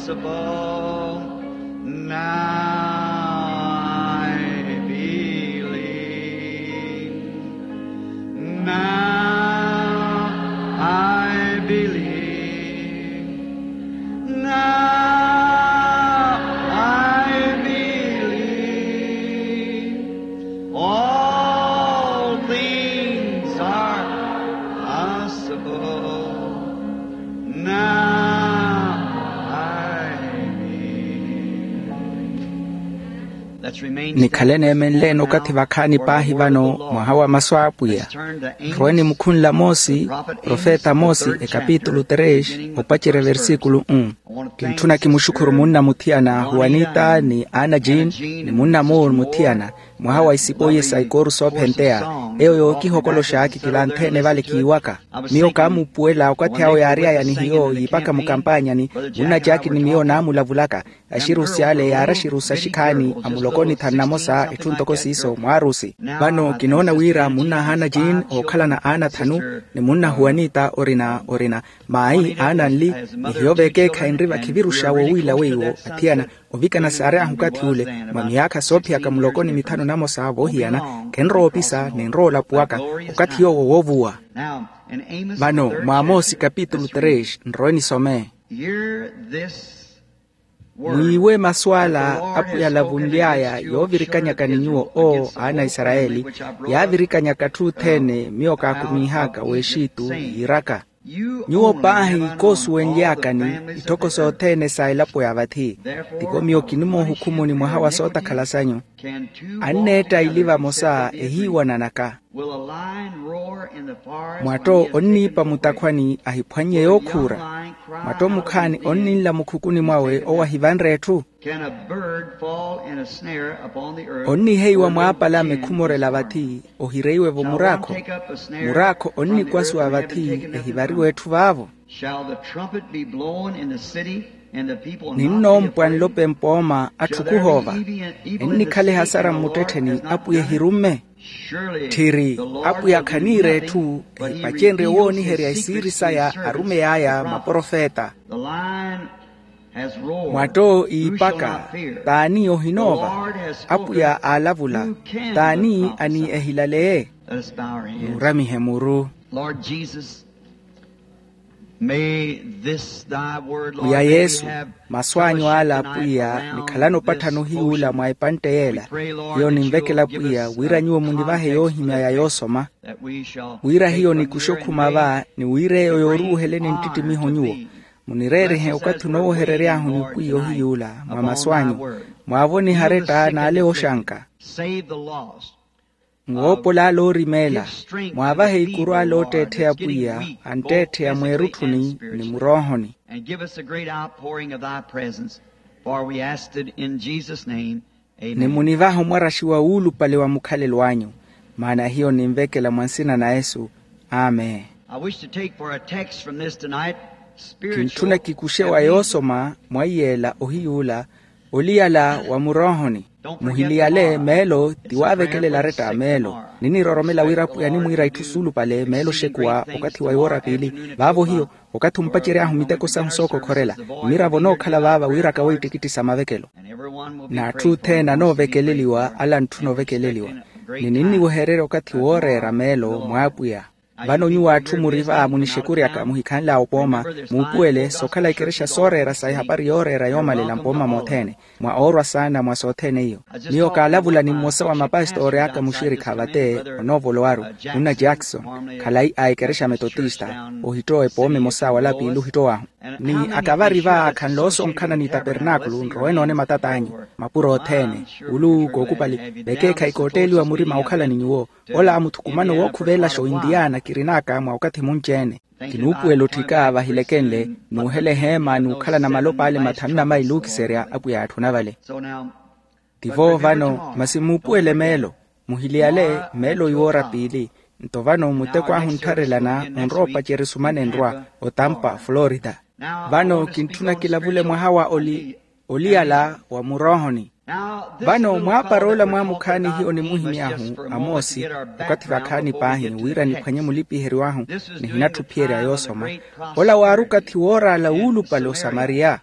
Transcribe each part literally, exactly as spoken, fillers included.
Now I believe. Now I believe. Now I believe. All things are possible. Now I believe. Nikhale neemenleene okathi vakhaani paahi vano mwaha wa masu a apwiya. Nrowe nimukhunle amoosi profeta amoosi ekapitulu tres opacerya versikulu un. Kintthuna kimuxukhuru munna muthiyana huwanita ni ana jean, ni munna muur muthiyana mwaha wa isipoiye sa ikooru soophenteya. Eyo yookihokoloxa kikilanthe-ene vale kiiwaka. Miyo kaamuupuwela okathi awo yaary'aya ni hiyo yiipaka mukampaanyani. Munna jaaki ni miyo naamulavulaka. Axirusi ale yaari axirusi axikhaani a muloko ni thanu namosa etthu ntoko siiso mwaarusi. Vano kinoona wira munna ahaana jean ookhalana aana thanu, ni munna huwanita orina orina. Maayi aana nli, ni hiyo vekeekhayi nri vakhiviruxa wowiila weiwo athiyana ovikana saary'ahu okathi ule. Mwa miyaakha soophiyaka muloko ni mithanu namosa voohiyana, khenrowa opisa ni nrowa olapuwaka okathi yoowo woovuwa. Vano mwa amoosi kapitulu tres nrowe nisome. Mwiiwe masu ala apwiya alavunly'aya yoovirikanyaka ni nyuwo oo aana a isarayeli, yaavirikanyaka atthu othene miyo kaakumiihaka w'exitu yiiraka. Nyuwo paahi koosuwenly'akani itthoko sothene sa elapo ya vathi. Tivo miyo kinimoohukhumuni mwaha wa sootakhala sanyu. Anneetta ili vamosa ehiiwananaka. Mwatto onniipa mutakhwani ahiphwannye yookhuura. Mwatto mukhaani onninla mukhukuni mwawe owo ahivanre etthu. Onniheiwa mwaapalame khumorela vathi ohireiwe-vo muraakho. Muraakho onnikwasuwa vathi ehivariwe etthu vaavo. Ninnompwa nlope mpooma atthu khuhoova. Ennikhale ehasara mmuttettheni apwiya ehirumme. Tthiri apwiya khaniira etthu ehipacenrye wooniherya isiiri saya arumeyi aya maprofeta. Mwatto iipaka. T'ani ohinoova? Apwiya aalavula. T'ani ani ehilaleye? Nuuramihe muru. Pwiya yesu, masu anyu ala apwiya nikhalana opatthana ohiyuula mwa epantte yeela. Hiyo ninvekela pwiya wira nyuwo munivahe yoohimya ya yoosoma, wira hiyo nikuxe okhuma va ni wira eyo yooruuheleni nttittimiho nyuwo. Munireerihe okathi onooweherery'ahu ni pwiya ohiyuula mwa masu anyu. Mwaavonihe aretta n'ale ooxanka. Mwoopola ale oorimeela. Mwaavahe ikuru ale ootteettheya pwiya antteettheya mweerutthuni ni muroohoni. Ni munivaha omwaraxi wa wuulupale wa mukhalelo anyu. Maana hiyo ninvekela mwa nsina na yesu. Amen. Kintthuna kikuxe wa yoosoma mwa iyeela ohiyuula oliyala wa muroohoni. Muhiliyale meelo ti waavekelela aretta a meelo. Niniroromela wira apwiya animwiira itthu suulupale meelo oxekuwa okathi wa iwoora piili. Vaavo hiyo okathi ompacery'ahu miteko sahu sookokhorela, mmiravo onookhala vaava wiiraka weettikitti sa mavekelo. N'atthu othene anoovekeleliwa ala antthuna ovekeleliwa. Ni ninniwehererya okathi wooreera meelo mw'apwiya. Vano nyuwo atthu muri va munixekuryaka muhikhanl'awe opooma, muupuwele sookhala ikerexa sooreera sa ehapari yooreera yoomalela mpooma mothene. Mwa oorwa saana mwa sothene iyo, miyo kaalavula ni mmosa wa mapastori aka muxirikha vate, onoovolowaru, munna jackson, khalayi a ekerexa metotista. Ohittowa epooma emosa wala piili ohittowahu. Ni akavari va khanle oosonkhana ni tapernaakulu nrowe noone matat'anyu, mapuro othene, ulu kookupali, vekeekhayi kootteeliwa murima okhala ni nyuwo. Ola muthukumano wookhuveelaxa oindiyaana kirin'aka mwa okathi munci-ene. Kinuupuwela otthika vahilekenle, nuuhela eheema n'ukhalana malopa ale mathanu na maili ookiserya apwiya yaatthuna vale. Tivo vano masi muupuwele meelo. Muhiliyale meelo iwoora piili. Nto vano muteko ahu onttharelana onrowa opacerya esumana enrwa, otampa florida. Vano kintthuna kilavule mwaha wa oliyala wa muroohoni. Vano mwaapar'ola mwaamukhaani hiyo nimuhimy'ahu amoosi, okathi vakhaani paahi wira niphwanye mulipiheryo ahu, nihinatthu ophiyerya yoosoma. Ola waari okathi wooraala wuulupale osamariya.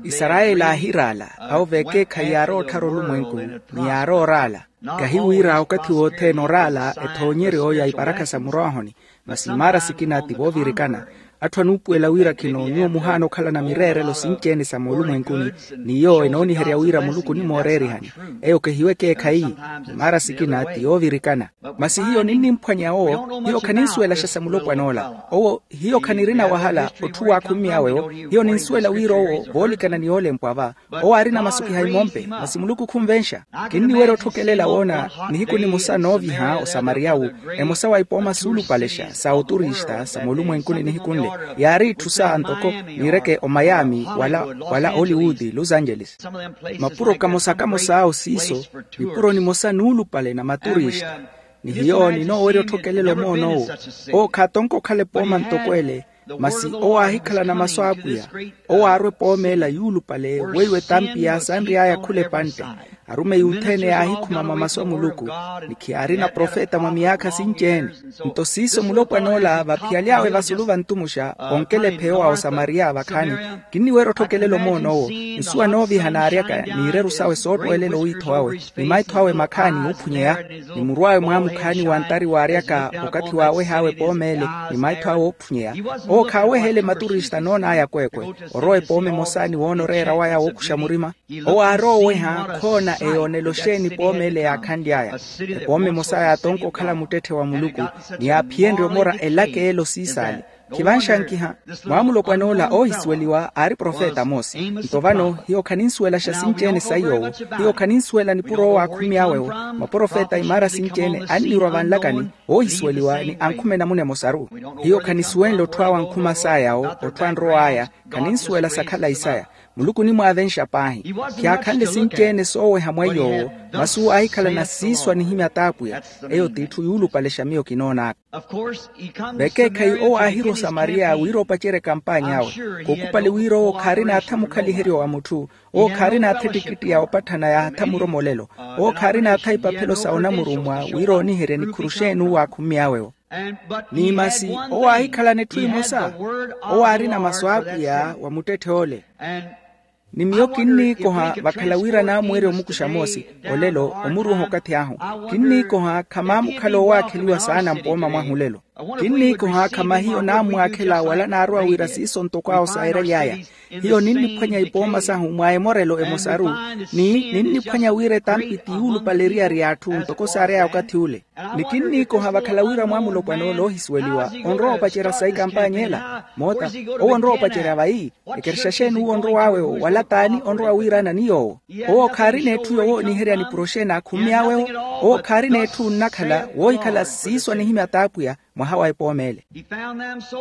Isarayeli aahiraala awo vekeekhayi yaarowa otthara olumwenku, ni yaarowa oraala. Kahi wira okathi wothene oraala ethoonyeryo ya iparakha sa murwahoni, masi imaara sikina ti voovirikana. Atthu anuupuwela wira khino nyuwo muhaana okhalana mireerelo sinci-ene sa moolumwenkuni, ni iyo enooniherya wira muluku onimooreerihani. Eyo kehiwe ekeekhayi. Imaara sikina ti yoovirikana. Masi hiyo ninnimphwanya owo, hiyo khaninsuwelaxa sa mulopwan'ola. Owo hiyo khanirina wahala otthu waakhummy'awe-wo. Hiyo ninsuwela wira owo voolikana ni yoolempwa va, owo aarina masukiha imompe, masi muluku khunvenxa. Kinniwerya otthokelela woona nihiku nimosa nooviha osamariya-wu, emosa wa ipooma suulupalexa sa oturista sa moolumwenkuni nihiku nle, yaari itthu sa ntoko, niireke omayami, wala oliwood, los angeles. Mapuro kamosa kamosa awo siiso, nipuro nimosa nuulupale na maturista. Ni hiyo ninoowerya otthokelela omoon'owo. Owo khaatonka okhala epooma ntoko ele. Masi owo aahikhalana masu a apwiya. Owo aarwa epooma ela yuulupale weiwo etampi yaasanry'aya khula epantte. Arumeyi othene yaahikhuma mwa masu a muluku. Ni khiyaarina profeta mwa miyaakha sinci-ene. Nto siiso mulopwan'ola vaphiyaly'awe vasulu vantumuxa, onkela epheyo wa osamariya vakhaani. Kinniwerya otthokelela omoon'owo. Nsuwa nooviha naaryaka n'ireru sawe soottwelela owiitho awe ni maitho awe makhaani oophunyeya. Ni murw'awe mwaamukhaani wa ntari waaryaka okathi waaweh'awe epooma ele ni maitho awe oophunyeya. Owo khaaweheele maturista noon'aya akweekwe. Orowa epooma emosa ni woona oreera waya wookuxa murima. Owo aarowa oweha khoona eyoonela oxeeni epooma ele yaakhanly'aya. Epooma emosa yaatonka okhala muttetthe wa muluku, ni yaaphiyenrye omora elaka ele osiisaali. Khivanxankiha. Mwaamulopwan'ola oohisuweliwa aari profeta amosi. Nto vano hiyo khaninsuwelaxa sinci-ene saiy'owo. Hiyo khaninsuwela nipuro owo aakhummy'awe-wo. Maprofeta imaara sinci-ene annirwa vanlakani, oohisuweliwa ni ankhume namuna emosaru. Hiyo khanisuwenle otthu awo ankhuma sayawo, otthu anrow'aya. Khaninsuwela sa khalayi saya. Muluku onimwaavenxa paahi. Khiyaakhanle sinci-ene sooweha mwa iy'owo. Masi owo aahikhalana siiswa nihimya t'apwiya. Eyo t'itthu yuulupalexa miyo kinoon'aka. Vekeekhayi owo aahirwa osamariya wira opacerya ekampany'awe. Khuukupali wira owo khaarina atha mukhaliheryo wa mutthu. Owo khaarina atha ettikittiya opatthana yaahatha muromolelo. Owo khaarina atha ipaphelo sa onamurummwa wira ooniherya nikhuru xeeni owo aakhummy'awe-wo. Ni masi owo aahikhalana etthu emosa. Owo aarina masu a apwiya wa muttetthe ole. Ni miyo kinniikoha vakhala wira naamuwerya omukuxa moosi. Olelo omuruuha okathi ahu. Kinniikoha khamaamukhala owaakheliwa saana mpooma mwahu olelo. Kinniikoha khamahiyo naammwaakhela wala naarowa wira siiso ntoko awo saayirery'aya. Hiyo ninniphwanya ipooma sahu mwa emorelo emosaru. Ni ninniphwanya wira etampi ti yuulupale eriyari y'atthu ntoko saary'aya okathi ule. Ni kinniikoha vakhala wira mwaamulopwana ole oohisuweliwa onrowa opacerya sa ikampanya ela. Moota, owo onrowa opacerya vayi? Ekerexa xeeni owo onrow'awe-wo wala t'ani onrowa wiirana ni yoowo? Owo khaarina etthu yoowooniherya nipuro xeeni aakhummy'awe-wo. Owo khaarina etthu onnakhala woohikhala siiso anihimya t'apwiya mwaha wa epooma ele.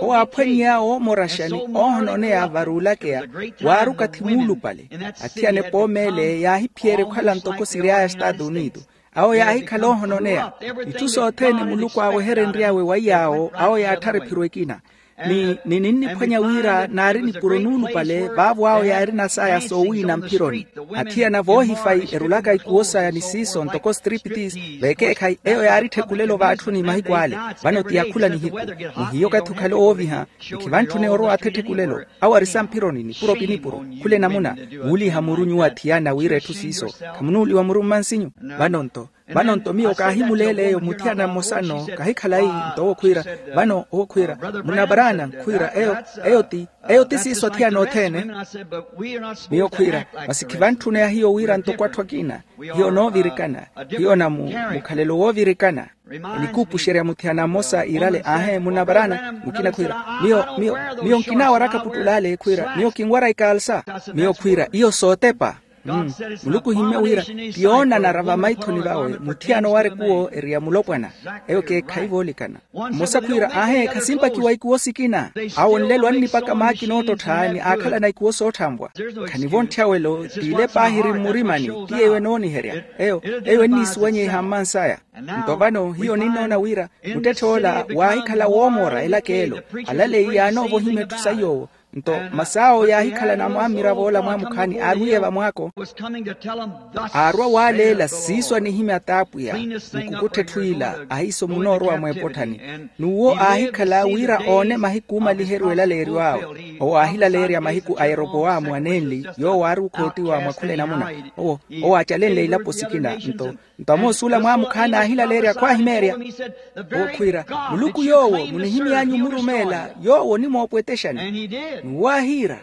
Owo aaphwannyeya oomoraxa ni oohononeya varuulakeya. Waari okathi muulupale. Athiyana epooma ele yaahiphiyerya okhala ntoko siry'aya estaatu unido. Awo yaahikhala oohononeya. Itthu sothene muluku aaweherenry'awe wa iy'awo awo yaatthara ephiro ekina. Ni ninniphwanya wira naari nipuro nuulupale vaavo awo yaarina saya soowiina mphironi. Athiyana voohifayi erulaka ikuwo saya ni siiso ntoko striptis. Vekeekhayi eyo yaari etthekulelo vaatthuni mahiku ale. Vano ti ya khula nihiku. Ni hiyo okathi okhale owooviha. Ni khivantthune orowa atha etthekulelo. Awo ari sa mphironi nipuro pi nipuro. Khula enamuna. Wuuliha muru nyuwo athiyana wira etthu siiso. Khamunuuliwa muru mmansinyu? Vano nto. Vano nto miyo kaahimuleela eyo muthiyana mmosa-no. Kahikhalayi. Nto owo khwiira, vano owo khwiira, munna brana khwiira eyo, eyo ti, eyo ti siiso athiyana othene. Miyo khwiira, masi khivantthune ya hiyo wira ntoko atthu akina. Hiyo noovirikana. Hiyo na mu mukhalelo woovirikana. Enikuupuxerya muthiyana mmosa iirale aahe munna brana mukina khwiira, miyo miyo miyo nkinaawaraka puttul'ale khwiira miyo kinwara ikaalsa. Miyo khwiira iyo sootepa. Muluku ohimmye wira, ti yoonanara vamaithoni vawe muthiyana owara ekuwo eri ya mulopwana. Eyo keekhayi voolikana. Mmosa khwiira aahe khasimpakiwa ikuwo sikina. Awo nlelo annipaka maakina oottotthani aakhalana ikuwo sootthanvwa. Khanivontthyawelo t'ile paahiri mmurimani. Ti eyo enooniherya. Eyo eyo enniisuwanyeiha mmansaya. Nto vano hiyo ninnoona wira muttetthe ola waahikhala woomoora elaka elo. Alaleyi yaanoovohimya etthu sa iy'owo. Nto masi awo yaahikhala namwamira voola mwamukhaani aarwiye vamwaako, aarwa waaleela siiso anihimya t'apwiya, nkukuttha etthu ila ahiiso munoorowa mweepotthani. N'uwo aahikhala wira oone mahiku oomaliherya elaleeryo awe. Owo aahilaleerya mahiku a yeropowamu anenli, yoowo aari okhootiwa mwa khula enamuna. Owo owo aacalenle ilapo sikina nto nto amoosuula mwaamukhaani aahilaleerya khwaahimeerya. Owo khwiira, muluku yoowo munihimy'anyu omurumeela yoowo onimoopwetexani. N'uwo aahiira.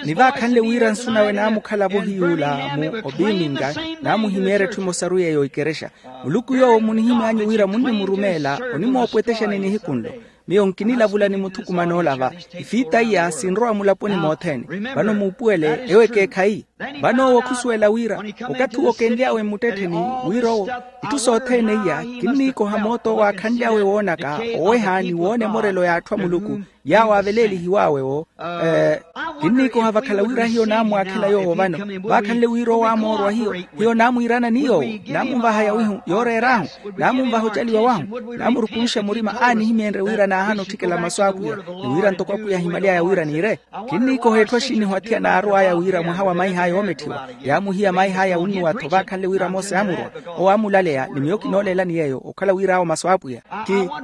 Ni vaakhanle wira nsu nawe naamukhala-vo hiy'ula mu opiminga, naamuhimeerya etthu emosaru yeeyo ikerexa. Muluku yoowo munihimy'anyu wira munnimurumeela onimoopwetexani nihiku nlo. Miyo nkinilavula ni muthukumana ola va ifiita iya sinrowa mulaponi mothene. Vano muupuwele ewo ekeekhayi. Vano owo khusuwela wira okathi owo kenly'awe mmuttettheni, wira owo itthu sothene iya kinniikoha mooto owo aakhanly'awe woonaka, oweha ni woona emorelo y'atthu a muluku yaawo aaveleelihiw'awe wo. Kinniikoha vakhala wira hiyo naamwaakhela yoowo vano. Vaakhanle wira owo aamoorwa hiyo, hiyo naamwiirana ni yoowo, naamunvahaya wihu yooreer'ahu, naamunvaha ocaliwa wahu, naamurukunxa murima aanihimyenrye wira naahana otthikela masu a apwiya, ni wira ntoko apwiya ahimaly'aya wira niire. Kinniikoha etthu axinnihu athiyana aarw'aya wira mwaha wa maih'aya oometthiwa yaamuhiya maih'aya wunnuwa-tho vaakhanle wira mose aamurwa. Owo aamulaleya ni miyo kinooleelani yeeyo okhala wira awo masu a apwiya.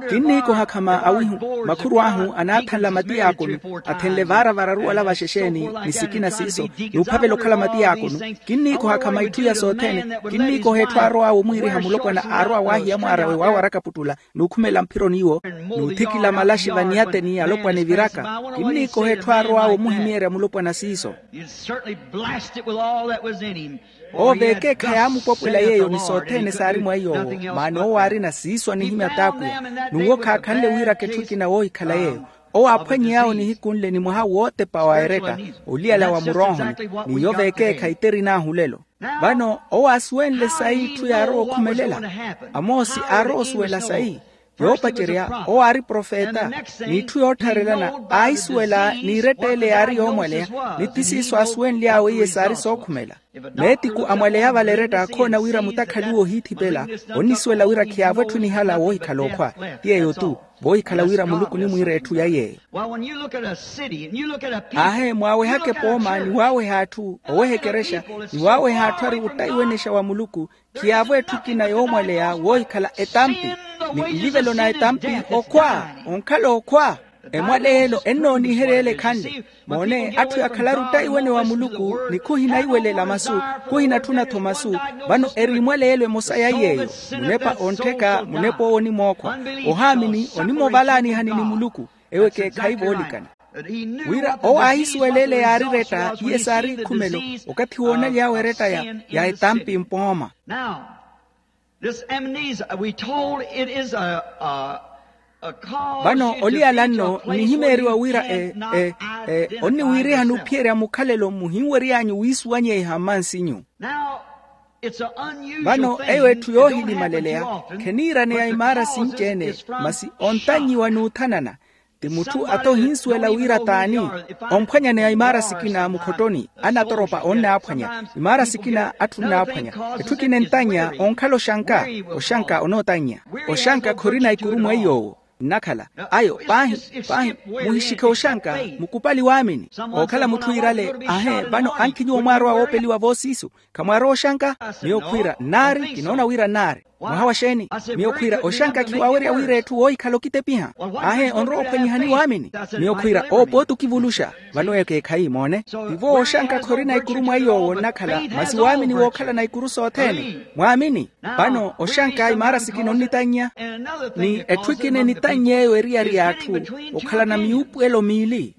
Kinniikoha khama awihu makhurw'ahu anaathanla matiyaakoni, athenle vaara vararu wala vaxexeeni ni sikina siiso, n'uphavela okhala matiyaakoni. Kinniikoha khama itthu iya sothene. Kinniikoha etthu aarow'awe omwiiriha mulopwana aarwa waahiya mwaar'awe waawaraka puttula n'ukhumela mphiro n'iwo, n'uthikila malaxi vaniyateni alopwana eviraka. Kinniikoha etthu aarow'awe omuhimeerya mulopwana siiso. Owo veekeekhayi aamupwapwela yeeyo ni sothene saari mwa iy'owo. Maana owo aarina siiso anihimya t'apwiya. N'uwo khaakhanle wiiraka etthu ekina woohikhala yeeyo. Owo aaphwanyey'awo nihiku nle ni mwaha wootepa wa eretta, oliyala wa muroohoni. N'iyo veekeekhayi terin'ahu lelo. Vano owo aasuwenle sayi itthu yaarowa okhumelela. Amoosi aarowa osuwela sayi. Yoopacerya owo aari profeta. N'itthu yoottharelana aahisuwela n'iretta ele yaari yoomwaleya. Ni ti siiso aasuwenly'awe iye saari sookhumela. Meetiku amwaleya vale eretta akhoona wira mutakhaliwa ohiithipela. Onnisuwela wira khiyaavo etthu nihala woohikhala okhwa. Ti yeeyo-tu. Voohikhala wira muluku onimwiira etthu ya yeeyo. Aahe mwaawehaka epooma ni waaweha atthu oweha ekerexa, ni waaweha atthu ari ottayiwenexa wa muluku. Khiyaavo etthu ekina yoomwaleya woohikhala etampi. Ni nlivelo na etampi okhwa. Onkhala okhwa. Emwaleya elo ennooniherya ele ekhanle. Moone atthu yakhalaru ottayiwene wa muluku ni khuhinaiwelela masu, khuhinatthuna-tho masu. Vano eri emwaleya elo emosa ya yeeyo. Munepa onttheka munep'owo onimookhwa. Ohaamini onimoovalaanihani ni muluku. Ewo ekeekhayi voolikana. Wira owo aahisuwela ele yaari eretta iye saari ikhumelo. Okathi woonaly'awe eretta ya etampi mpooma. This amnesia we told it is a, a, a cause. Vano oliyala nno nnihimeeriwa wira e e e onniwiiriha n'uphiyerya mukhalelo muhinwery'anyu wiisuwanyeiha mmansinyu. Vano eyo etthu yoohilimaleleya. Kheniiraneya imaara sinci-ene. Masi ontannyiwa n'uthanana. Ti mutthu ata ohinsuwela wira t'ani. Omphwanyaneya imaara sikina mukhottoni. Anatoropa onnaaphwanya. Imaara sikina atthu nnaaphwanya. Etthu ekina entannya onkhala oxanka. Oxanka onootannya. Oxanka khorina ikuru mweiy'owo nnakhala. Ayo paahi paahi. Muhixikhe oxanka. Mukupali waamini. Ookhala mutthu iirale. Ahe vano ankhi nyuwo mwaarowa woopeliwa voosiisu. Khamwaarowa oxanka? Miyo khwiira nnaari kinoona wira nnaari. Mwaha wa xeeni? Miyo khwiira oxanka khiwaawerya wira etthu woohikhala okitepiha. Aahe onrowa ophwanyihani waamini. Miyo khwiira owo pooti okivuluxa. Vano eyo ekeekhayi moone. Tivo oxanka khorina ikuru mweiy'owo nnakhala masi waamini wookhala na ikuru sothene. Mwaamini. Vano oxanka imaara sikina onnitannya. Ni etthu ekina enitannya eyo eriyari y'atthu okhalana miyuupuwelo miili.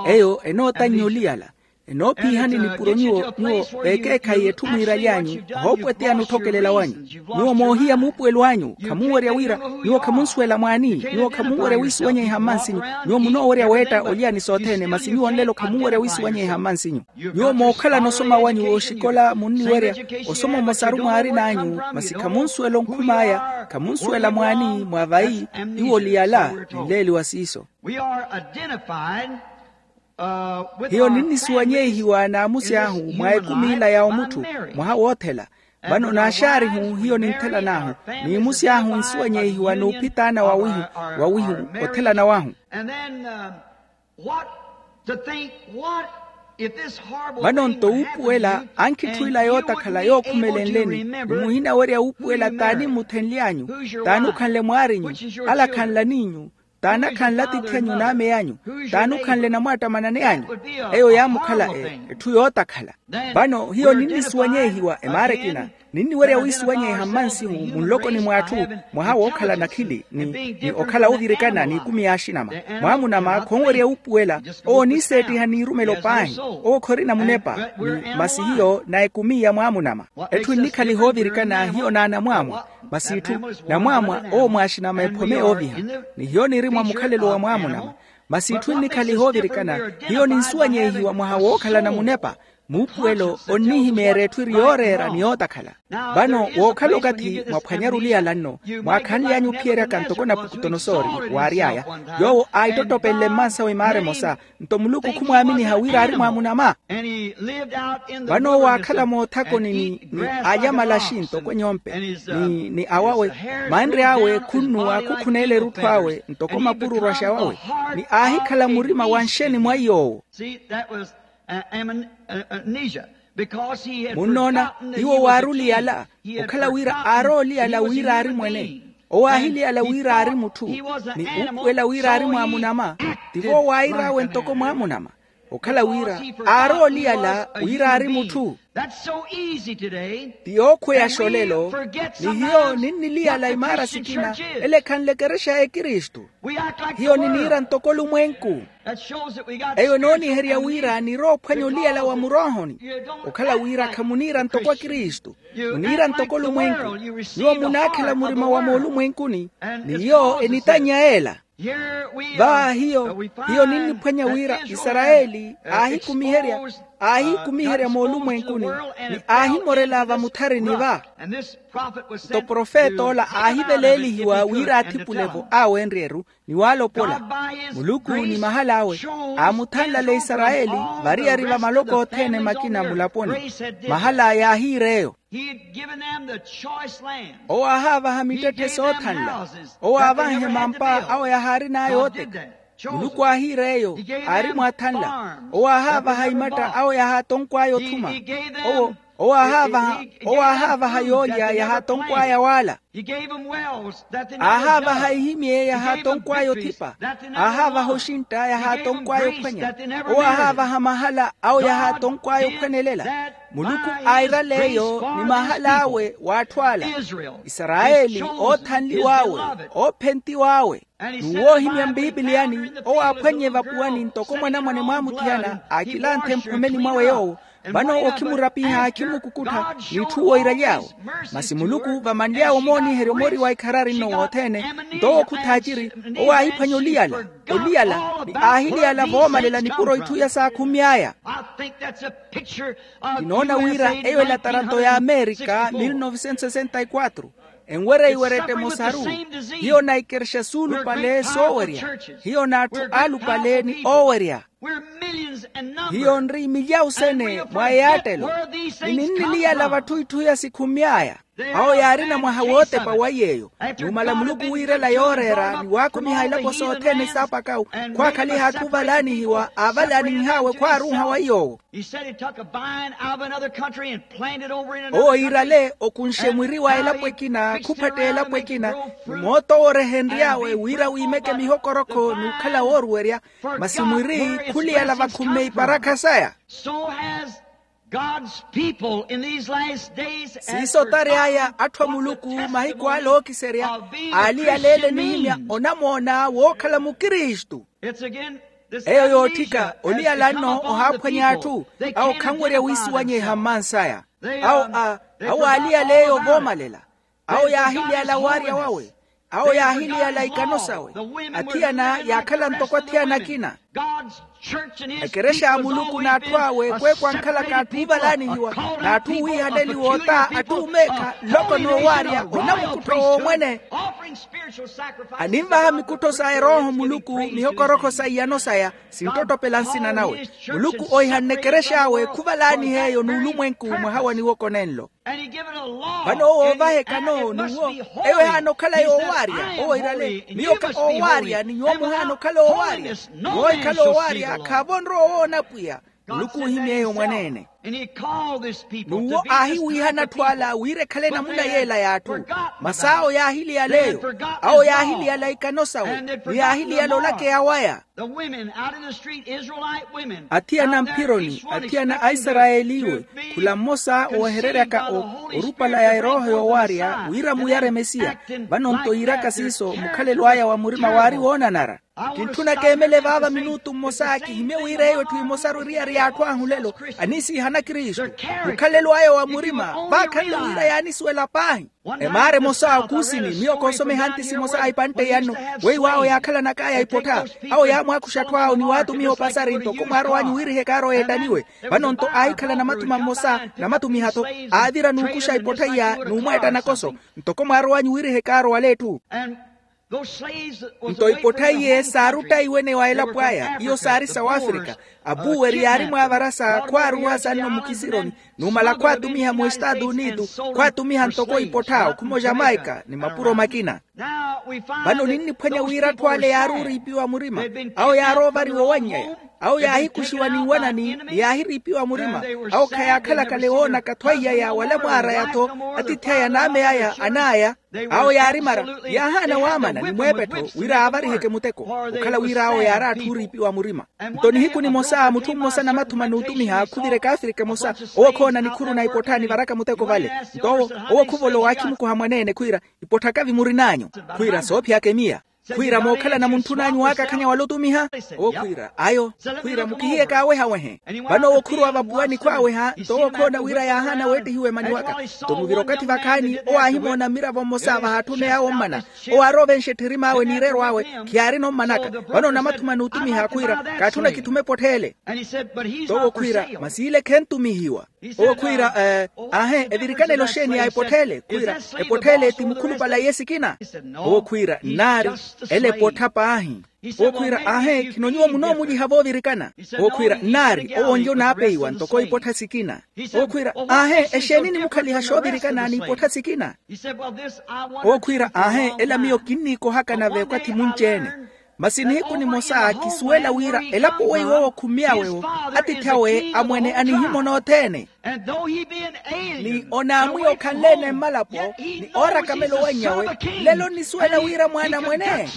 Eyo enootannya oliyala. Enoophiihani nipuro nyuwo nyuwo veekeekhayi etthu mwiiraly'anyu. Ohoopweteyani otthokelela wanyu. Nyuwo moohiya muupuwelo anyu khamunwerya wira. Nyuwo khamunsuwela mwaani. Nyuwo khamunwerya wiisuwanyeiha mmansinyu. Nyuwo munoowerya weetta oliyani sothene masi nyuwo nlelo khamunwerya wiisuwanyeiha mmansinyu. Nyuwo mookhalana osoma wanyu wooxikola munniwerya. Osoma omosaru mwaarin'anyu. Masi khamunsuwela onkhum'aya khamunsuwela mwaani mwa vayi. Nyuwo oliyala. Nleeliwa siiso. Hiyo ninnisuwanyeihiwa n'amusi ahu mwa ekumi ila ya omutthu. Mwaha woothela. Vano n'axaarihu hiyo ninthelanahu. N'imusi ahu nsuwanyeihiwa n'uphitaana wawihu wawihu. Othelana wahu. Vano-nto wuupuwela ankhitthuwila yootakhala yookhumelenleni. Ni muhinawerya wuupuwela t'ani mmuthenly'anyu, t'ani okhanle mwaarinyu, ala khanlan'inyu, t'ani akhanle atiithi anyu n'amey'anyu, t'ani okhanle namwattamananey'anyu. Eyo yaamukhala etthu yootakhala. Vano hiyo ninnisuwanyehiwa emaara ekina, ninniwerya wiisuwanyeha mmansihu munlokoni mw'atthu, mwaha wookhala nakhili ni okhala ovirikana n'ikumi y'axinama. Mwaamunama khonwerya wuupuwela. Owo oniiseettiha n'irumelo paahi. Owo khorina munepa. Ni masi hiyo na ekumi ya mwaamunama. Etthu ennikhaliha ovirikana hiyo n'anamwaamwa. Masi itthu namwaamwa owo mwaaxinama ephome yooviha. Ni hiyo niri mwa mukhalelo wa mwaamunama. Masi itthu ennikhaliha ovirikana. Hiyo ninsuwanyehiwa mwaha wookhalana munepa. Muupuwelo onnihimeerya etthu eri yooreera ni yootakhala. Vano wookhala okathi mwaphwanyaru oliyala nno, mwaakhanly'anyu ophiyeryaka ntoko napukutonosori waary'aya. Yoowo aahittottopelele mmansawe maara emosa. Nto muluku khumwaaminiha wira aari mwaamunama. Vano owo aakhala moothakoni ni alyamalaxi ntoko enyompe, ni awawe, manre awe khunnuwa khukhuneela erutthu awe ntoko mapururwaxa wawe. Ni aahikhala murima wa nxeni mwa iy'owo. Munnoona, iwo waari oliyala. Okhala wira aari oliyala wira aari mwene. Owo aahiliyala wira aari mutthu, ni uupuwela wira aari mwaamunama. Tivo wair'awe ntoko mwaamunama. Okhala wira aari oliyala wira aari mutthu. Ti yookhweyaxa olelo. Ni hiyo ninniliyala imaara sikina, ele ekhanle ekerexa ya ekristu. Hiyo niniira ntoko olumwenku. Eyo enooniherya wira nirowa ophwanya oliyala wa muroohoni. Okhala wira khamuniira ntoko akristu, muniira ntoko olumwenku. Nyuwo munaakhela murima wa moolumwenkuni, ni yo enitannya ela. Vaahiyo, hiyo ninniphwanya wira isarayeli aahikumiherya, aahikumiherya moolumwenkuni, ni aahimorela vamutharini va. Nto profet'ola aahiveleelihiwa wira athipule-vo awe enryeru, ni waalopola. Muluku ni mahal'awe aamuthanlale isarayeli variyari va maloko othene makina mulaponi. Mahala yaahiir'eyo. Owo aahaavaha mittetthe soothanla. Owo aavanhe mampa awo yahaarin'aya ooteka. Muluku aahiira eyo, aari mwathanla. Owo aahaavaha imatta awo yahaatonkw'aya othuma. Owo owo aahaavaha yoolya yahaatonkw'aya waala. Aahaavaha ihimye yahaatonkw'aya othipa. Aahaavaha oxintta yahaatonkw'aya ophwanya. Owo aahaavaha mahala awo yahaatonkw'aya ophwanelela. Muluku aairaleeyo ni mahal'awe w'atthu ala. Isarayeli oothanliw'awe, oophentiw'awe. N'uwoohimya mpipiliyani, owo aaphwannye vapuwani ntoko mwanamwane mwaamuthiyana aakilanthe mphomeni mwawe yoowo. Vano owo khimurapiha khimmukukuttha, n'itthu woiraly'awe. Masi muluku vamanly'awe omooniherya omori wa ikharari nno wothene, nto owo khuthaaciri. Owo aahiphwanya oliyala, oliyala, ni aahiliyala voomalela nipuro itthu iya saakhumy'aya. Kinoona wira eyo elatarato ya amerika mil novecentos sesenta y quatro. Enwerya iwerette mosaru. Hiyo na ikerexa suulupale soowerya. Hiyo n'atthu aalupale ni oowerya. Hiyo nri milyawu sene mwa eyaattelo. Ni ninniliyala vatthu itthu iya sikhumy'aya. Awo yaarina mwaha wootepa wa iy'eyo. Numala muluku wiirela yooreera ni waakumiha ilapo sothene saapakawu, khwaakhaliha atthu ovalaanihiwa aavalaanih'awe khwaaruuha wa iy'owo. Owo yiirale okunxe mwiri wa elapo ekina khuphatta elapo ekina. Ni mooto woorehenry'awe wira wiimeke mihokorokho n'ukhala wooruwerya. Masi mwiri khuliyala vakhumme iparakha saya. Siiso tary'aya atthu a muluku mahiku ale ookiserya aaliyaleele nihimya onamoona wookhala mukristu. Eyo yootthika oliyala nno ohaaphwanya atthu. Awo khanwerya wiisuwanyeha mmansaya. Awo a awo aaliyaleeyo voomalela. Awo yaahiliyala waarya wawe. Awo yaahiliyala ikano sawe. Athiyana yaakhala ntoko athiyana akina. Ekerexa ya muluku n'atthu awe kweekhu ankhalaka atthu oovalaanihiwa, n'atthu oowiihaneliwa ota atthu oomeekha nloko n'owaarya onamukuttho w'omwene. Animvaha mikuttho sa erooho muluku mihokorokho sa iyano saya sinttottopela nsina nawe. Muluku ohihanne ekerex'awe khuvalaanih'eyo n'ulumwenku mwaha wa niwoko nenlo. Vano owo oovaha ekano n'uwo eyo ehaana okhala yoowaarya. Owo iirale miyo ka oowaarya ni nyuwo muhaana okhala oowaarya. Nyuwo Khala owaarya khaavo onrowa owoona pwiya. Muluku oohimy'eyo mwaneene. N'uwo aahiwiihana atthu ala wira ekhale enamuna y'ela y'atthu. Masaawo yaahiliyala eyo. Awo yaahiliyala ikano sawo. Ni yaahiliyala olakeya waya. Athiyana mphironi, athiyana aisarayeliwe, khula mmosa owehereryaka orupala ya erooho yoowaarya wira muyare mesiya. Vano-nto yiiraka siiso mukhalelo aya wa murima waari woonanara. Kintthuna keemele vaava minutu mmosa kihimye wira eyo etthu emosaru eriyari y'atthu ahu lelo aniisiihana kristu. Mukhalelo aya wa murima vaakhanle wira yaanisuwela paahi. Emaara emosa kuusini miyo koosomeha ntisi emosa a ipantte yanno weiwo awo yaakhalanak'aya ipottha. Awo yaamwaakuxa atthu awo ni waatumiha opasari ntoko mwaarow'anyu wira ehekaaru eyo ettaniwe. Vano-nto aahikhala namathuma mmosa namatumiha-tho. Aavira n'ukuxa ipottha iya n'umweetta nakoso ntoko mwaarow'anyu wira ehekaaru wala etthu. Nto ipottha iye saaruttaiwene wa elapo aya iyo saari sa wafrika. Apuweri yaari mwaavarasa khwaaruwasa nno mukisironi. Numala khwaatumiha mu estaatu unitu khwaatumiha ntoko ipottha okhuma ojamaika ni mapuro makina. Vano ninniphwanya wira atthu ale yaari oriipiwa murima. Awo yaari ovariwa owanny'aya. Awo yaahikuxiwa ni nwanani ni yaahiriipiwa murima. Awo khayaakhalakale woonaka thwaiyaya wala mwaaraya-tho. Atiithi aya n'ame aya an'aya. Awo yaari mara yaahaana waamana ni mweepettho wira aavariheke muteko. Okhala wira awo yaari atthu oriipiwa murima. Nto nihiku nimosa mutthu mmosa namathuma n'utumiha khuvira ekaafirika emosa. Owo khoona nikhuru na ipottha nivaraka muteko vale. Nto owo owo khuvolowa akhimukuha mwaneene khwiira ipottha kavi murin'anyu. Khwiira soophiyaka emiya. Khwiira mookhalana muntthun'anyu waakakhanya wala otumiha. Owo khwiira ayo. Khwiira mukihiye kaawehawehe. Vano owo khurowa vapuwani khwaaweha nto owo khoona wira yaahaana weettihiwa emani waka. Nto muvira okathi vakhaani owo aahimoona mmiravo mmosa vahaatthuna yaawo ommana. Owo aarovenxa ettherim'awe n'ireero awe. Khiyaarina ommanaka. Vano namathuma n'utumiha khwiira kaatthuna kithume epottheele. Nto owo khwiira masi ile khentumihiwa. Owo khwiira aahe evirikanelo xeeni ya epottheele khwiira epottheele ti mukhulupale a iye sikina. Owo khwiira nnaari ele epottha paahi. Owo khwiira aahe khino nyuwo munoomuliha voovirikana. Owo khwiira nnaari owo onli onaapeiwa ntoko ipottha sikina. Owo khwiira aahe exeeni nimukhaliha xoovirikana n'ipottha sikina. Owo khwiira aahe ela miyo kinniikohaka nave okathi munci-ene. Masi nihiku nimosa kisuwela wira elapo weiwo owo khummiyawe-wo atiithi awe amwene anihimona othene. Ni onaamwiya okhanle-ene mmalapo ni oorakamela owannyawe. Lelo onnisuwela wira mwaana mwene.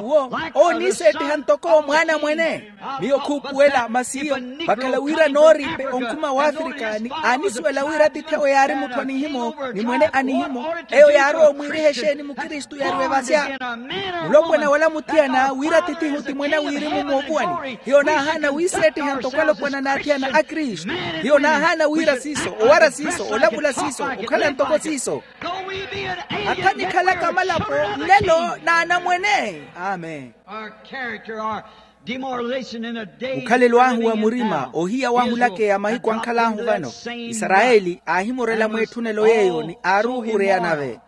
Uwo ooniiseettiha ntoko mwaana mwene. Miyo khuupuwela masi iyo vakhala wira nooriipe onkhuma w'afrika ni aanisuwela wira atiithi awe yaari mutthu anihimo ni mwene anihimo. Eyo yaarowa omwiiriha exeeni mukristu yariwe vasya. Mulopwana wala muthiyana wira atithihu ti mwene a wirimu moopuwani. Hiyo naahaana wiiseettiha ntoko alopwana n'athiyana a kristu. Hiyo naahaana wira siiso owara siiso olavula siiso okhala ntoko siiso. Atha nikhalaka malapo nlelo n'anamwene. Amen. Mukhalelo ahu wa murima ohiya wahulake ya mahiku ankhal'ahu vano. Isarayeli aahimurela mw'etthunelo yeeyo ni aaruuhureya nave.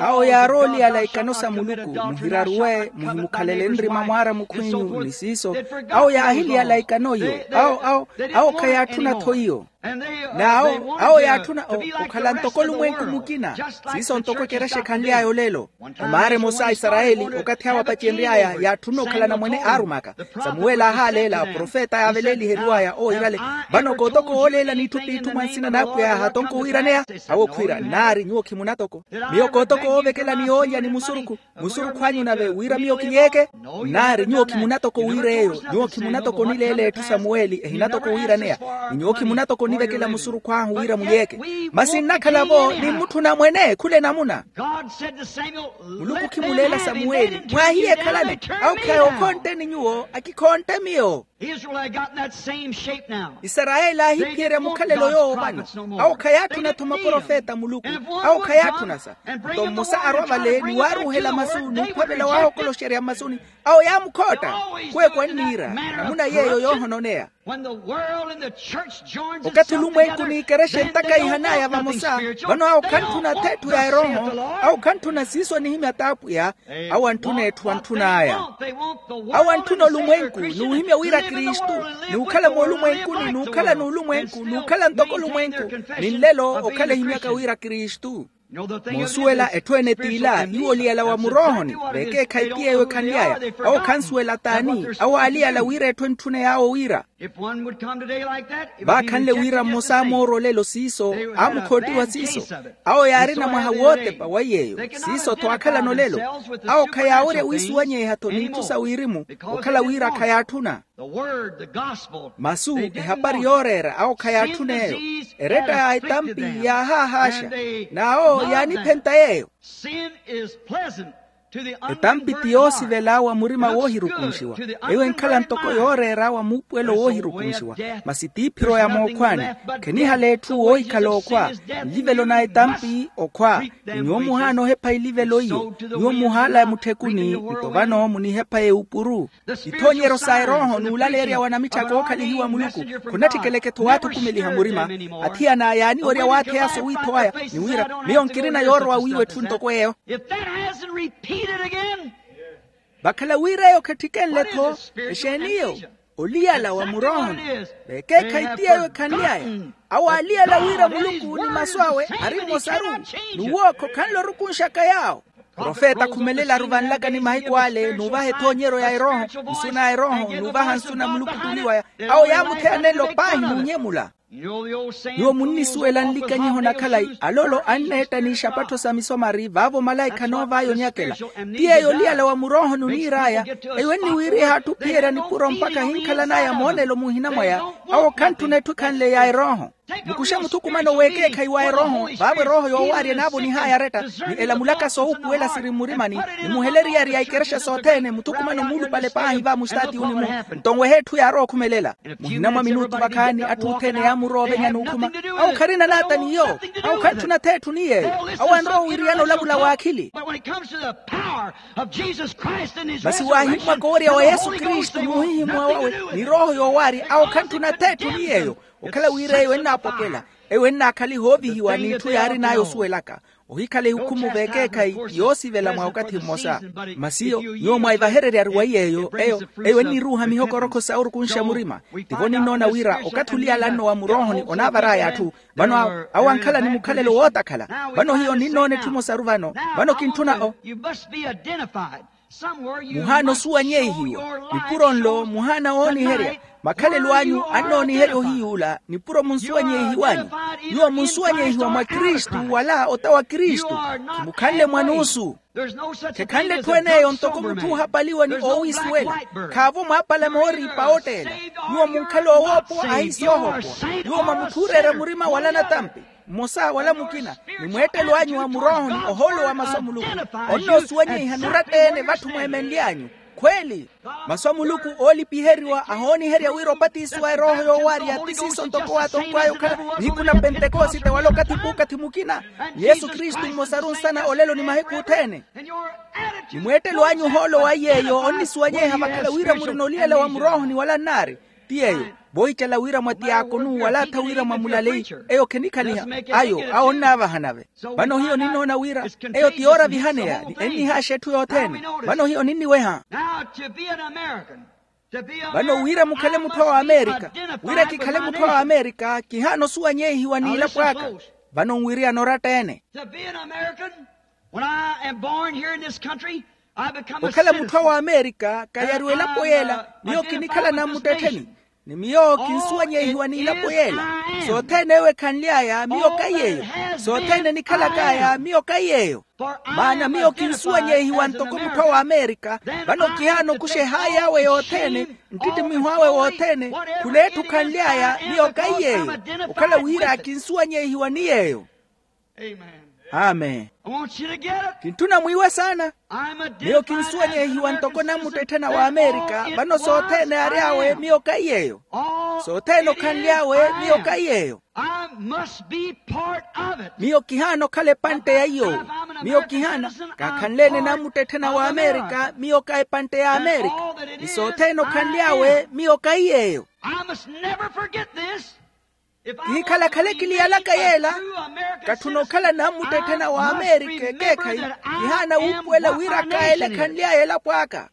Awo yaarooliyala ikano sa muluku muhiraruwe muhimukhalele nrima mwaara mukhw'inyu ni siiso. Awo yaahiliyala ikano iyo. Awo awo awo khayaatthuna-tho iyo. N'awo awo yaatthuna okhala ntoko olumwenku mukina. Siiso ntoko ekerexa ekhanly'aya olelo. Emaara emosa a isarayeli okathi awo apacenry'aya yaatthuna okhala anamwene aarumaka. Samuweli aahaaleela aprofeta yaaveleliheriw'aya owo irale. Vano kootoko wooleela n'itthu p'itthu mwa nsina n'apwiya yaahatonka owiiraneya. Awo khwiira nnaari nyuwo khimunatoko. Miyo kootoko woovekela ni yoolya ni musurukhu. Musurukhu anyu nave wira miyo kiyeeke. Nnaari nyuwo khimunatoko wiir'eyo nyuwo khimunatoko onileela etthu samuweli ehinatoko wiiraneya. Ni nyuwo khimunatoko onivekela musurukhu ahu wira muyeeke. Masi nnakhala-vo ni mmutthu namwene khula enamuna. Muluku khimuleela samuweli mwaahiye ekhalani. Awo khaya okhontteni nyuwo akikhontte miyo. Isarayeli aahiphiyerya mukhalelo yoowo vano. Awo khayaatthuna-tho maprofeta a muluku. Awo khayaatthuna-sa. Nto mmosa arwa vale ni waaruuhela masu n'uphavela waahokoloxerya mmasuni. Awo yaamukhootta. Kweeku anniira namuna yeeyo yoohononeya. Okathi olumwenku n'ikerexa entaka ihan'aya vamosa. Vano awo khantthuna atheetthu ya erooho. Awo khantthuna siiso anihimya t'apwiya. Awo antthuna etthu antthun'aya. Awo antthuna olumwenku n'uhimya wira kristu. N'ukhala moolumwenkuni n'ukhala n'ulumwenku n'ukhala ntoko olumwenku. Ni nlelo okhala ehimyaka wira kristu. Moosuwela etthu ene t'ila iwo oliyala wa muroohoni. Vekeekhayi ti yeeyo ekhanly'aya. Awo khansuwela t'ani? Awo aaliyala wira etthu entthuney'awo wira. Vaakhanle wira mmosa amoorwa olelo siiso, aamukhootiwa siiso. Awo yaarina mwaha wootepa wa yeeyo. Siiso-tho aakhalana olelo. Awo khayaawerya wiisuwanyeiha-tho n'itthu sa wirimu, okhala wira khayaatthuna. Masu, ehapari yooreera awo khayaatthun'eyo. Eretta ya etampi yaahaahaaxa. N'awo yaaniphenta yeeyo. Etampi ti yoosivela wa murima woohirukunxiwa. Eyo enkhala ntoko yooreera wa muupuwelo woohirukunxiwa. Masi t'iphiro ya mookhwaani. Khenihale etthu woohikhala okhwa. Nlivelo na etampi okhwa. Nyuwo muhaana ohepha ilivelo iyo. Nyuwo muhaala mutthekuni. Nto vano munihepha eupuru. Ithoonyeryo sa erooho n'ulaleerya wa namitthaka ookhalihiwa muluku. Khunatthikelekettho waathukumeliha murima. Athiyana yaaniwerya waatheya sowiitho aya ni wira, miyo nkirina yoorowa wiiwa etthu ntoko eyo. Vakhala wira eyo khatthikenle-tho. Exeeni eyo? Oliyala wa muroohoni. Vekeekhayi ti yeeyo ekhanly'aya. Awo aaliyala wira muluku ni masu awe ari mmosaru. N'uwookho khanle orukunxaka yaawo. Profeta akhumelelaru vanlakani mahiku ale n'uvaha ethoonyeryo ya erooho, nsu na erooho n'uvaha nsu na muluku t'uli waya. Awo yaamutheya nenlo paahi n'unyemula. Nyuwo munnisuwela nlikanyiho na khalayi aloolo anneetta n'ixapattho sa misomari vaavo malaikha anoov'aya onyakela. Ti yeeyo oliyala wa muroohoni oniir'aya. Eyo enniwiiriha atthu ophiyerya nipuro mpakha ahinkhalan'aya moonelo muhina mwaya. Awo khantthuna etthu ekhanle ya erooho. Mukuxe muthukumano w'ekeekhayi wa erooho vaavo erooho yoowaarya enaavonih'aya aretta. Ni elamulaka soohupuwela siri mmurimani, ni muheleryerya ikerexa sothene muthukumano muulupale paahi va mustaatiyuni-mu. Nto nwehe etthu yaarowa okhumelela. Muhina mwa minutu vakhaani atthu othene yaamurowa ovenya n'ukhuma. Awo kharina naata ni yoowo. Awo khantthuna-tho etthu ni yeeyo. Awo anrowa owiriyana olavula w'akhili. Masi waahimmwaka owerya wa yesu kristu n'uhihimmwa wawe, ni rooho yoowaarya awo khantthuna-tho etthu ni yeeyo. Okhala wira eyo ennaapopwela. Eyo ennaakhaliha oovihiwa n'itthu yaarin'aya osuwelaka. Ohikhala ehukhumu v'ekeekhayi yoosivela mwa okathi mmosa. Masi iyo nyuwo mwaivahereryari wa yeeyo eyo. Eyo enniruuha mihokorokho sa orukunxa murima. Tivo ninnoona wira okathi oliyala nno wa muroohoni onaavar'aya atthu. Vano awo awo ankhala ni mukhalelo wootakhala. Vano hiyo ninnoona etthu emosaru vano. Vano kintthuna o muhaana osuwanyeihiwa. Nipuro nlo muhaana wooniherya. Makhalelo anyu annooniherya ohiyuula nipuro munsuwanyeihiwanyu. Nyuwo munsuwanyeihiwa mwa kristu wala ota wa kristu. Khimukhanle mwanuusu. Khekhanle etthu en'eyo ntoko mutthu ohapaliwa ni oowiisuwela. Khaavo mwaapala mooriipa ootteela. Nyuwo munkhala oowoopowa ahiisoohopowa. Nyuwo mwa mutthu ooreera murima wala natampi mmosa wala mukina, ni mweettelo anyu wa muroohoni ohoolo wa masu a muluku. Onnoosuwanyeiha nuratta-ene vatthu mweemenly'anyu. Khweeli, masu a muluku oolipiheriwa ahooniherya wira opatisiwa erooho yoowaarya ti siiso ntoko waatonkw'aya okhala nihiku na pentekosite wala okathi p'ukathi mukina. Ni yesu kristu mmosaru nsana olelo ni mahiku othene. Ni mweettelo anyu ohoolo wa yeeyo onnisuwanyeiha vakhala wira murina oliyala wa muroohoni wala nnaari. Ti yeeyo, voohicela wira mwa tiyaakonu wala atha wira mwa mulaleyi. Eyo khenikhaliha. Ayo awo onnaavaha nave. Vano hiyo ninnoona wira eyo ti yoora vihaneya ni ennihaaxa etthu yothene. Vano hiyo ninniweha. Vano wira mukhale mutthu a w'amerika, wira kikhale mutthu a w'amerika kihaana osuwanyeihiwa n'ilapo aka. Vano nwiriyana oratta-ene. Okhala mutthu a w'amerika kayariwa elapo yeela. Miyo kinikhala nammuttettheni. Ni miyo kinsuwanyeihiwa n'ilapo yeela. Sothene eyo ekhanly'aya miyo kahi yeeyo. Sothene enikhalak'aya miyo kahi yeeyo. Maana miyo kinsuwanyeihiwa ntoko mutthu a w'amerika. Vano kihaana okuxa ehaayi awe yothene, nttittimiho awe wothene, khul'etthu khanly'aya miyo kahi yeeyo. Okhala wira kinsuwanyeihiwa ni yeeyo. Amen. Kintthuna mwiiwe saana. Miyo kinsuwanyeihiwa ntoko nammuttetthena w'amerika. Vano sothene ary'awe miyo kahi yeeyo. Sothene okhanly'awe miyo kahi yeeyo. Miyo kihaana okhala epantte ya iy'owo. Miyo kihaana, kaakhanle-ene nammuttetthena w'amerika miyo ka epantte y'amerika. Ni sothene okhanly'awe miyo kahi yeeyo. Kihikhala khale kiliyalaka yeela. Katthuna okhala nammuttetthena w'amerika ekeekhayi. Kihaana wuupuwela wira kaayele ekhanly'aya elapo aka.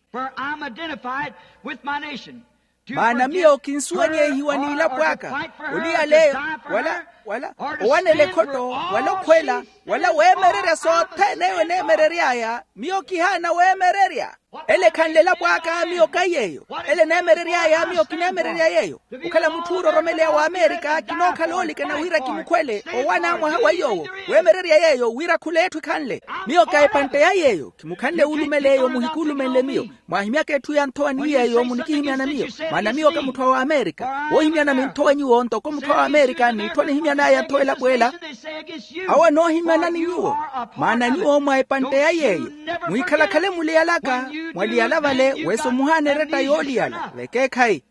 Maana miyo kinsuwanyeihiwa n'ilapo aka. Oliyaleyo wala Wala owanela ekhotto, wala okhwela, wala weemererya sothene eyo eneemerery'aya. Miyo kihaana weemererya. Ele ekhanle elapo aka, miyo kahi yeeyo. Ele eneemerery'aya, miyo kineemererya yeeyo. Okhala mutthu oororomeleya w'amerika kinookhala oolikana wira kimukhwele owana mwaha wa iy'owo. Weemererya yeeyo wira khula etthu ekhanle. Miyo ka epantte ya yeeyo. Khimukhanle wuulumeleya omuhikulumenle miyo. Mwaahimyaka etthu ya nthowa ni yeeyo munikihimyana miyo. Maana miyo ka mutthu a w'amerika. Woohimyana minthowa nyuwo ntoko mutthu a w'amerika n'itthu anihimyan'aya nthowa elapo ela. Awo anoohimyanani nyuwo. Maana nyuwo mwa epantte ya yeeyo. Mwikhalakhale muliyalaka. Mwaliyala vale wesa omuhaana eretta yooliyala vekeekhayi.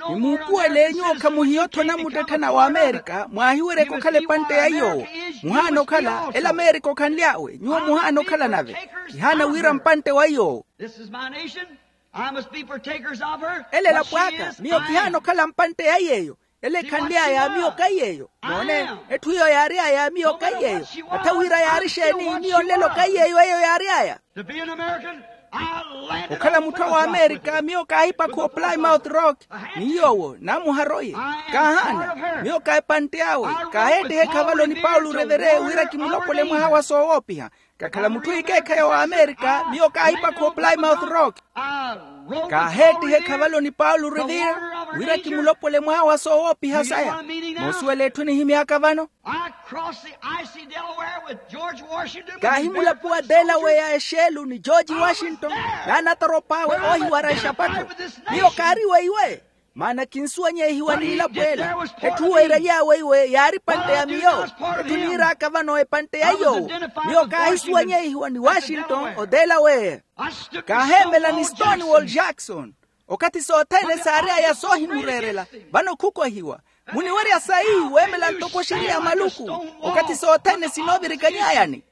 Nimuupuwele nyuwo khamuhiya otthona muttetthana w'amerika mwaahiweryeke okhala epantte ya iy'owo. Muhaana okhala ela amerika okhanly'awe nyuwo muhaana okhala nave. Kihaana wira mpantte wa iy'owo. This is my nation. I must be partakers of her. Ela elapo aka miyo kihaana okhala mpantte ya yeeyo. Ela ekhanly'aya miyo kahi yeeyo. Moone, etthu iyo yaary'aya miyo kahi yeeyo. Attha wira yaari exeeni miyo nlelo kahi yeeyo eyo yaary'aya. To be an American, I landed okhala mutthu a w'amerika miyo kaahipakha o plymouth rock. Ni yoowo naamuhara oye. Kaahaana. Miyo ka epantte awe. Kaaheettiha ekhavalo ni paulo revere wira kimulopole mwaha wa soowoopiha. Kakhala mutthu ikeekhayi wa amerika miyo kaahipakha o plymouth rock. Kaaheettiha ekhavalo ni paulo revere wira kimulopole mwaha wa soowoopiha saya. Moosuwela etthu enihimy'aka vano. Kaahimulapuwa delaweya exeelu ni george washington n'anatarop'awe oohiwara exapattho. Miyo kaari weiwe. Maana kinsuwanyehiwa n'ilapweela. Etthu weeraly'awe iwe yaari epantte ya miyo. Etthu niir'aka vano epantte ya iy'owo. Miyo kaahisuwanyehiwa ni washington oteela weeya. Kaaheemela ni stonewall jackson. Okathi sothene saary'aya soohimureerela. Vano khukwehiwa. Muniwerya sayi weemela ntoko oxiriya maluku. Okathi sothene sinoovirikany'ayani.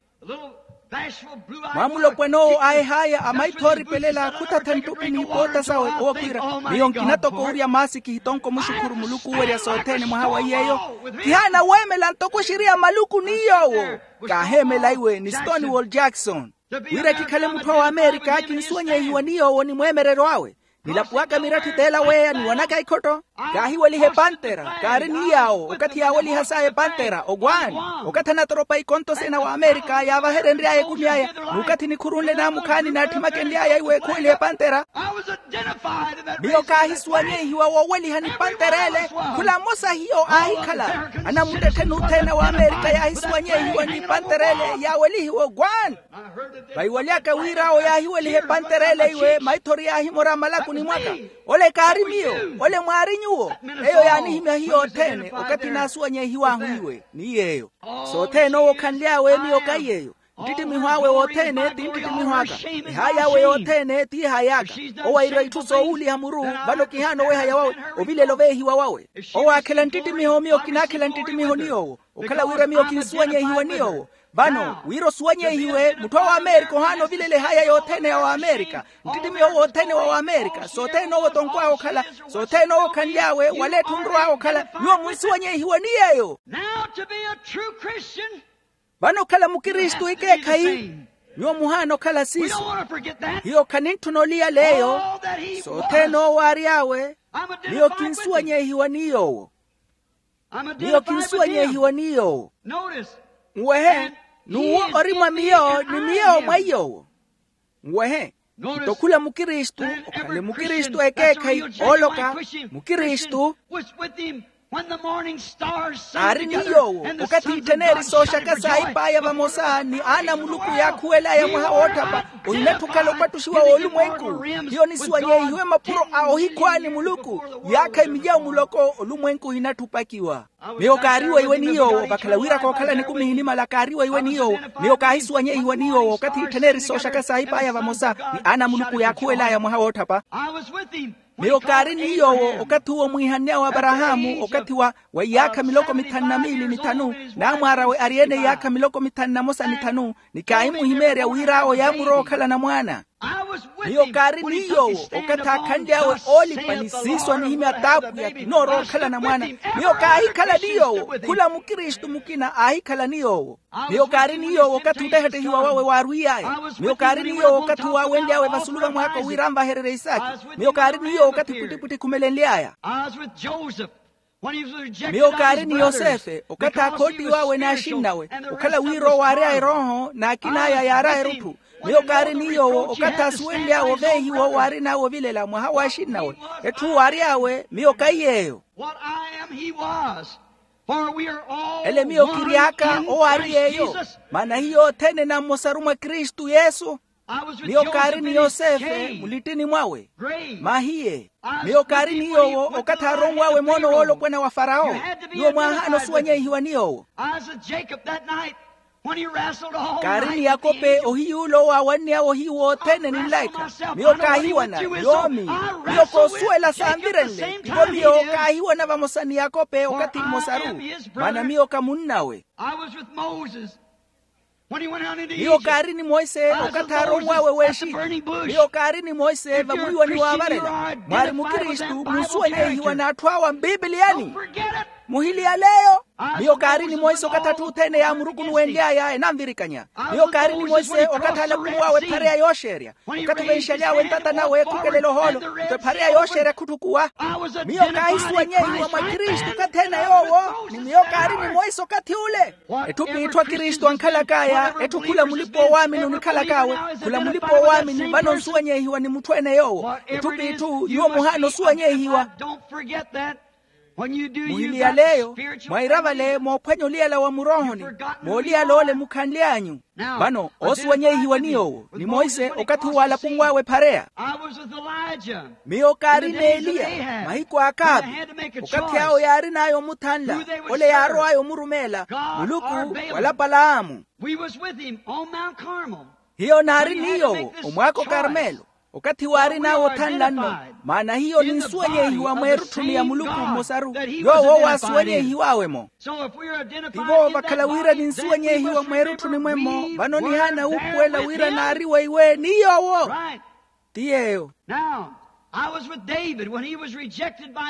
Mwamulopwan'owo aahih'aya amaitho ooripelela khuthatha nttupi n'ipoota sawe owo khwiira. Miyo nkina toko owurya maasi kihitonko omuxukhuru muluku owerya sothene mwaha wa iy'eyo. Kihaana weemela ntoko oxiriya maluku ni yoowo. Kaaheemela iwe ni stonewall jackson. Wira kikhale mutthu a w'amerika kinsuwanyehiwa ni yoowo ni mweemereryo awe. Nilapuwaka miratthi teela weeya niwanaka ikhotto. Kaahiweliha epantera kaari ni yaawo okathi yaaweliha saya epantera ogwani. Okathi anatoropa ikontosena wa amerika yaavaherenry'aya ekumi aya. N'ukathi nikhurunle naamukhaani naatthimakenly'aya iwe khuweliha epantera. Miyo kaahisuwanyehiwa wooweliha ni pantera ele. Khula mmosa hiyo aahikhala anamuttettheni othene wa amerika yaahisuwanyehiwa ni pantera ele yaawelihiwa ogwani. Vayiwaly'aka wir'awo yaahiweliha epantera ele iwe maithori yaahimora malakuni mwaka. Ole kaari miyo. Ole mwaari nyuwo. Eyo yaanihimya hiyo othene okathi naasuwanyehiw'ahu iwe ni yeeyo. Sothene owo okhanly'awe miyo kahi yeeyo. Nttittimiho awe wothene ti nttittimiho aka. Ehaayi awe yothene ti ehaayi aka. Owo airwa itthu soowuliha muru. Vano kihaana owehaya wawe ovilela oveehiwa wawe. Owo aakhela nttittimiho miyo kinaakhela nttittimiho ni yoowo. Okhala wira miyo kinsuwanyehiwa ni yoowo. Vano wira osuwanyehiwe mutthu a w'amerika ohaana ovilela ehaya yothene ya w'amerika. Nttittimiho wothene wa w'amerika sothene owo tonkw'awe okhala. Sothene owo okhanly'awe wala etthu nrw'awe okhala. Nyuwo munsuwanyehiwa ni yeeyo. Now to be a true Christian. Vano okhala mukristu ikeekhayi. Nyuwo muhaana okhala siiso. Hiyo khanintthuna oliyala eyo. Sothene owo aary'awe. Miyo kinsuwanyehiwa ni yoowo. Miyo kinsuwanyehiwa ni yoowo. Nwehe. N'uwo ori mwa miyo ni miyo mwa iyoowo. Nwehe. Nto khula mukristu okhale mukristu ekeekhayi ooloka mukristu. Aari ni yoowo okathi itthaneeri sooxaka saahip'aya vamosa ni aana a muluku yaakhuwel'aya mwaha woottapa. Ohinatthi okhala opattuxiwa w'olumwenku. Hiyo nisuwanyehiwe mapuro a ohikhwaani muluku. Yaakha emilyawo muloko olumwenku ohinatthi opakiwa. Miyo kaari weiwe ni yoowo vakhala wira kookhala nikumi ehinimala kaari weiwe ni yoowo. Miyo kaahisuwanyehiwa ni yoowo okathi itthaneeri sooxaka saahip'aya vamosa ni aana a muluku yaakhuwel'aya mwaha woottapa. Miyo kaari ni yoowo okathi uwo mwiihanny'awe aparahaamu okathi wa wa iyaakha miloko mithanu na miili ni thanu. Naamwaar'awe ari-ene iyaakha miloko mithanu na mosa ni thanu. Ni kaahimuhimeerya wir'awo yaamurowa okhala anamwaana. Miyo kaari ni yoowo okathi aakhanly'awe oolipa ni siiso anihimya t'apwiya kinoorowa okhala anamwaana. Miyo kaahikhala ni yoowo khula mukristu mukina aahikhala ni yoowo. Miyo kaari ni yoowo okathi otehettehiwa wawe waarwiy'aya. Miyo kaari ni yoowo okathi waawenly'awe vasulu va mwaako wira anvahererye isaki. Miyo kaari ni yoowo okathi pwittipwitthi ekhumelenly'aya. Miyo kaari ni yosefe okathi akhootiw'awe n'axinnawe, okhala wira owo aary'awe erooho n'akin'aya yaar'awe erutthu. Miyo kaari ni yoowo okathi asuwenly'awe oveehiwa owo aarin'awe ovilela mwaha w'axinnawe. Etthu owo aary'awe miyo kahi yeeyo. Ele miyo kiry'aka owo aari yeeyo. Maana hiyo othene na mmosaru mwa kristu yesu. Miyo kaari ni yosefe mulittini mwawe. Mahiye. Miyo kaari ni yoowo okathi aaronw'awe moono woolopwana wa farawo. Nyuwo mwaahaana osuwanyeihiwa ni yoowo. Kaari ni yakope ohiy'ule owo aawanny'awe ohiyu wothene ni nlaikha. Miyo kaahiwana yoomi. Miyo koosuwela saanvirenle nto miyo kaahiwana vamosa ni yakope okathi mmosaru. Maana miyo ka munn'awe. Miyo kaari ni monse okathi aaronw'awe w'exi. Miyo kaari ni monse vamwiiwani waavarela mwaari mukristu munsuwanyeihiwa n'atthu awa mpipiliyani. Muhiliyaleyo. Miyo kaari ni monse okathi atthu othene yaamurukunuwenly'aya enanvirikanya. Miyo kaari ni monse okathi aalapunw'awe ephareya yooxeerya. Okathi ovenxaly'awe ntata nawe ekhukelela ohoolo nto ephareya yooxeerya khutthukuwa. Miyo kaahisuwanyeihiwa mwa kristu okathi ene yoowo. Ni miyo kaari ni monse okathi ule. Etthu p'itthu akristu ankhalak'aya etthu khula mulipa-oowaamini onikhalak'awe. Khula mulipa-oowaamini vano onsuwanyeihiwa ni mutthu ene yoowo. Etthu p'itthu nyuwo muhaana osuwanyeihiwa. Muhiliyaleyo mwaira vale moophwanya oliyala wa muroohoni. Mooliyala ole mukhanly'anyu. Vano oosuwanyeihiwa ni yoowo ni monse okathi uwo aalapunw'awe ephareya. Miyo kaari n'eliya mahiku a akaavi. Okathi awo yaarin'aya omuthanla ole yaarow'aya omurumeela muluku wala palaamu. Hiyo naari ni yoowo omwaaka okarmelo. Okathi waarin'awe othanla nno. Maana hiyo ninsuwanyeihiwa mweerutthuni ya muluku mmosaru. Yoowo owo aasuwanyeihiw'awe-mo. Tivo vakhala wira ninsuwanyeihiwa mweerutthuni mwemmo vano nihaana wuupuwela wira naari weiwe ni yoowo. Ti yeeyo.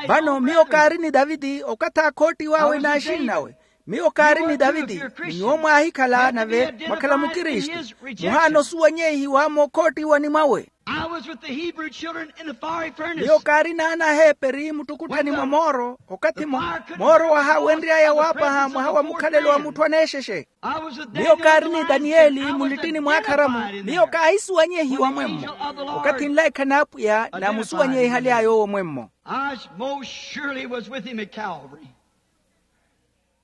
Vano miyo kaari ni taviti okathi aakhoottiw'awe n'axinnawe. Miyo kaari ni taviti. Ni nyuwo mwaahikhala nave mwakhala mukristu. Muhaana osuwanyeihiwa mookhoottiwani mwawe. Miyo kaari n'anaheeperi muttukutthani mwa mooro okathi mooro wahaawenry'aya waapaha mwaha wa mukhalelo wa mutthu aneexexe. Miyo kaari ni taniyeli mulittini mwaakharamu. Miyo kaahisuwanyeihiwa mwemmo. Okathi nlaikha n'apwiya naamusuwanyeihaly'aya owo mwemmo.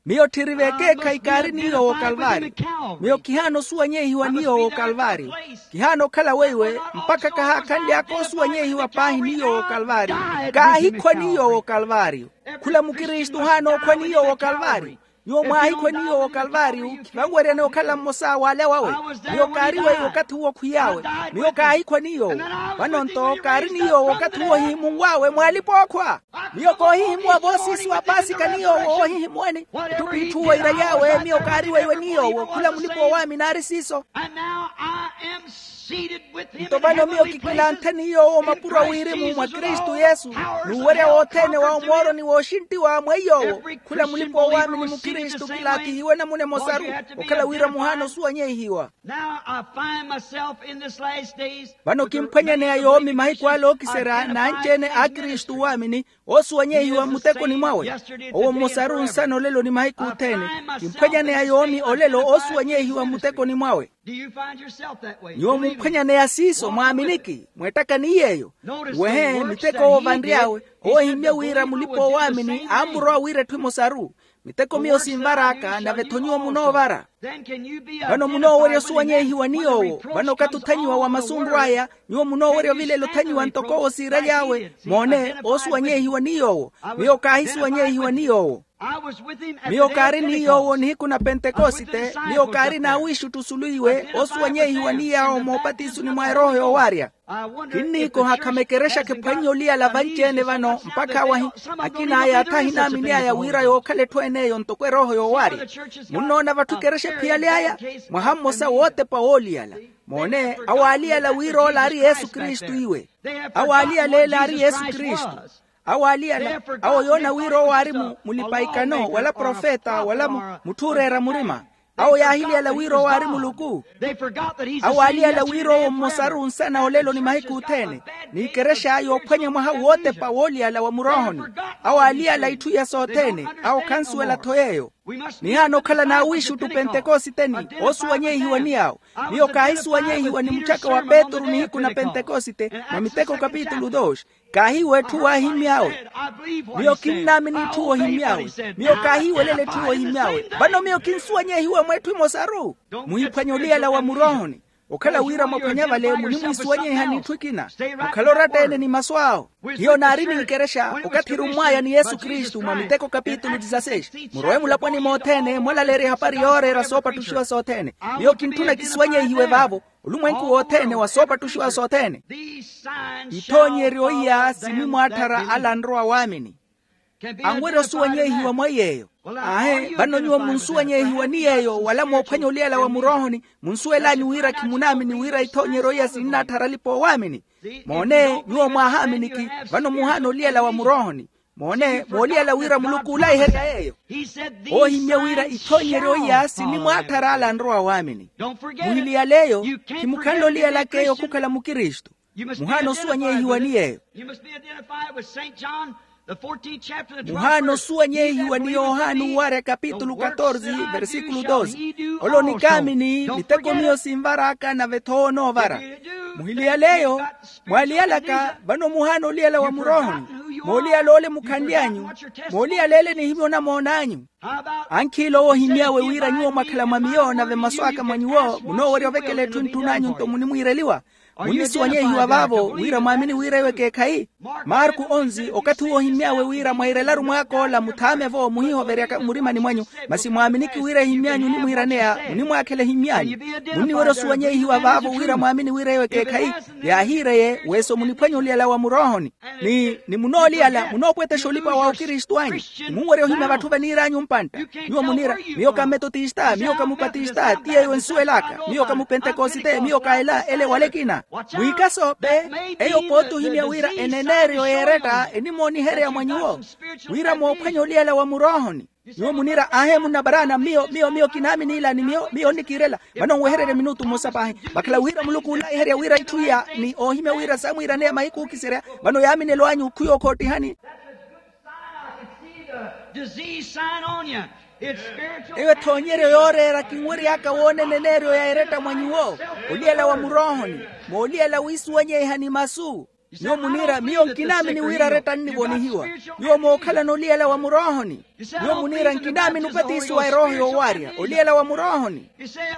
Miyo tthiri v'ekeekhayi kaari ni yoowo okalvaari. Miyo kihaana osuwanyeihiwa ni yoowo okalvaari. Kihaana okhala weiwe mpakha kahaakhanly'aka osuwanyeihiwa paahi ni yoowo okalvaari. Kaahikhwa ni yoowo okalvaari. Khula mukristu ohaana okhwa ni yoowo okalvaari. Nyuwo mwaahikhwa ni yoowo okalvaari. Khivanweryani okhala mmosa w'ale wawe. Miyo kaari weiwe okathi uwo khwiy'awe. Miyo kaahikhwa ni yoowo. Vano-nto kaari ni yoowo okathi uwo ohihimunw'awe mw'alipa-ookhwa. Miyo koohihimuwa voosiisi wa paasika ni yoowo oohihimuwani. Etthu p'itthu weirery'awe miyo kaari weiwe ni yoowo khula mulipa-oowaamini aari siiso. Nto vano miyo kikilanthe ni yoowo mapuro a wirimu mwa kristu yesu. N'uwerya wothene wa omooroni wooxinttiwa mweiy'owo. Khula mulipa-oowaamini mukristu kilaathihiwe namuna emosaru. Okhala wira muhaana osuwanyeihiwa. Vano kimphwanyaneya yoomi mahiku ale ookiserya n'anci-ene a kristu owaamini. Oosuwanyeihiwa mmutekoni mwawe. Owo mmosaru nsana olelo ni mahiku othene. Kimphwanyaneya yoomi olelo oosuwanyeihiwa mmutekoni mwawe. Nyuwo mumphwanyaneya siiso mwaaminiki mweettaka ni yeeyo. Wehe miteko owo vanry'awe. Owo ohimmye wira mulipa-oowaamini aamurowa wira etthu emosaru. Miteko miyo sinvar'aka nave-tho nyuwo munoovara. Vano munoowerya osuwanyeihiwa ni yoowo. Vano okathi othanyiwa wa masunru aya. Nyuwo munoowerya ovilela othanyiwa ntoko owo siiraly'awe moone oosuwanyeihiwa ni yoowo. Miyo kaahisuwanyeihiwa ni yoowo. Miyo kaari ni yoowo nihiku na pentekosite. Miyo kaari n'awiixuttu osulu iwe oosuwanyeihiwa ni yaawo moopatisoni mwa erooho yoowarya. Kinniikoha khama ekerexa khiphwannye oliyala vanci-ene vano mpakha awahi. Akin'aya atha ahinaamini aya wira yookhala etthu en'eyo ntoko erooho yoowarya. Munnoona vatthu ekerexa ephiyale aya. Mwaha mmosa wootepa wooliyala. Moone awo aaliyala wira ola aari yesu kristu iwe. Awo aaliyala ele aari yesu kristu. Awo aaliyala. Awo yoona wira owo aari mulipa-ikano wala profeta wala mutthu ooreera murima. Awo yaahiliyala wira owo aari muluku. Awo aaliyala wira owo mmosaru nsana olelo ni mahiku othene. N'ikerexa yoophwanya mwaha wootepa wooliyala wa muroohoni. Awo aaliyala itthu iya sothene. Awo khansuwela-tho yeeyo. Nihaana okhala n'awiixuttu pentekositeni, oosuwanyehiwa ni awo. Miyo kaahisuwanyehiwa ni muchaka wa petru nihiku na pentekosite, mwa miteko kapitulu dos. Kaahiiwa etthu waahimmy'awe. Miyo kinnaamini etthu woohimmy'awe. Miyo kaahiiwelela etthu woohimmy'awe. Vano miyo kinsuwanyehiwa mwetthu emosaru. Muhiphwanye oliyala wa muroohoni. Okhala wira mwaphwanya vale munimwiisuwanyeha n'itthu ekina. Mukhala oratta-ene ni masu awo. Hiyo naari n'ikerexa okathi erummw'aya ni yesu kristu mwa miteko kapitulu disaseis. Murowe mulaponi mothene mwalaleerya ehapari yooreera soopattuxiwa sothene. Miyo kintthuna kisuwanyehiwe vaavo. Olumwenku wothene wa soopattuxiwa sothene. Ithoonyeryo iya sinimwaatthara ala anrowa waamini. Anwerya osuwanyehiwa mwa iy'eyo. Aahe vano nyuwo munsuwanyehiwa ni yeeyo wala moophwanya oliyala wa muroohoni. Munsuwel'anyu wira khimunaamini wira ithoonyeryo iya sininnaatthara alipa oowaamini. Moone nyuwo mwaahaaminiki. Vano muhaana oliyala wa muroohoni. Moone mooliyala wira muluku oolaiherya yeeyo. Oohimmya wira ithoonyeryo iya sinimwaatthara ala anrowa waamini. Muhiliyale eyo. Khimukhanle oliyalaka eyo khukhala mukristu. Muhaana osuwanyehiwa ni yeeyo. Muhaana osuwanyehiwa ni yohani owarya kapitulu katorze versikulu doze. Ole onikaamini miteko miyo sinvar'aka nave-tho onoovara. Muhiliyale eyo. Mwaaliyalaka vano muhaana oliyala wa muroohoni. Mooliyala ole mukhanly'anyu. Mooliyala ele nihimya onamoon'anyu. Ankhiila owo ohimmy'awe wira nyuwo mwakhala mwa miyo nave masu aka mwa nyuwo munoowerya ovekela etthu entthun'anyu nto munimwiireliwa. Munnisuwanyehiwa vaavo wira mwaamini wira eyo ekeekhayi. Marku onzi okathi uwo ohimmy'awe wira mwairelaru mwaak'ola muthaame-vo muhihoveryaka mmurimani mwanyu. Masi mwaaminiki wira ehimmy'anyu onimwiiraneya munimwaakhela ehimmy'anyu. Munniwerya osuwanyehiwa vaavo wira mwaamini wira eyo ekeekhayi. Yaahiireye weso muniphwanye oliyala wa muroohoni. Ni ni munooliyala munoopwetesha olipa wa okristu anyu. Ni munwerya ohimya vatthu vaniir'anyu mpantta. Nyuwo muniira miyo ka mmetotista miyo ka mupatista ti yeeyo ensuwel'aka miyo ka mupentekosite miyo ka ela ele wala ekina. Mwiikaso pe. Eyo pooti ohimya wira eneneeryo y'eretta enimooniherya mwa nyuwo wira moophwanya oliyala wa muroohoni. Nyuwo muniira aahe munna baraana miyo miyo miyo kinaamini ila ni miyo miyo onnikiirela. Vano nwehererye minutu mmosa paahi. Vakhala wira muluku oolaiherya wira itthu iya ni oohimya wira saamwiiraneya mahiku ookiserya. Vano yaaminelo anyu khuyookhoottihani. Eyo ethoonyeryo yooreera kinwery'aka woona eneneeryo ya eretta mwa nyuwo. Oliyala wa muroohoni mooliyala wiisuwanyeha ni masu. Nyuwo muniira miyo nkinaamini wira aretta annivonihiwa. Nyuwo mookhalana oliyala wa muroohoni. Nyuwo muniira nkinaamini opatisiwa erooho yoowarya oliyala wa muroohoni.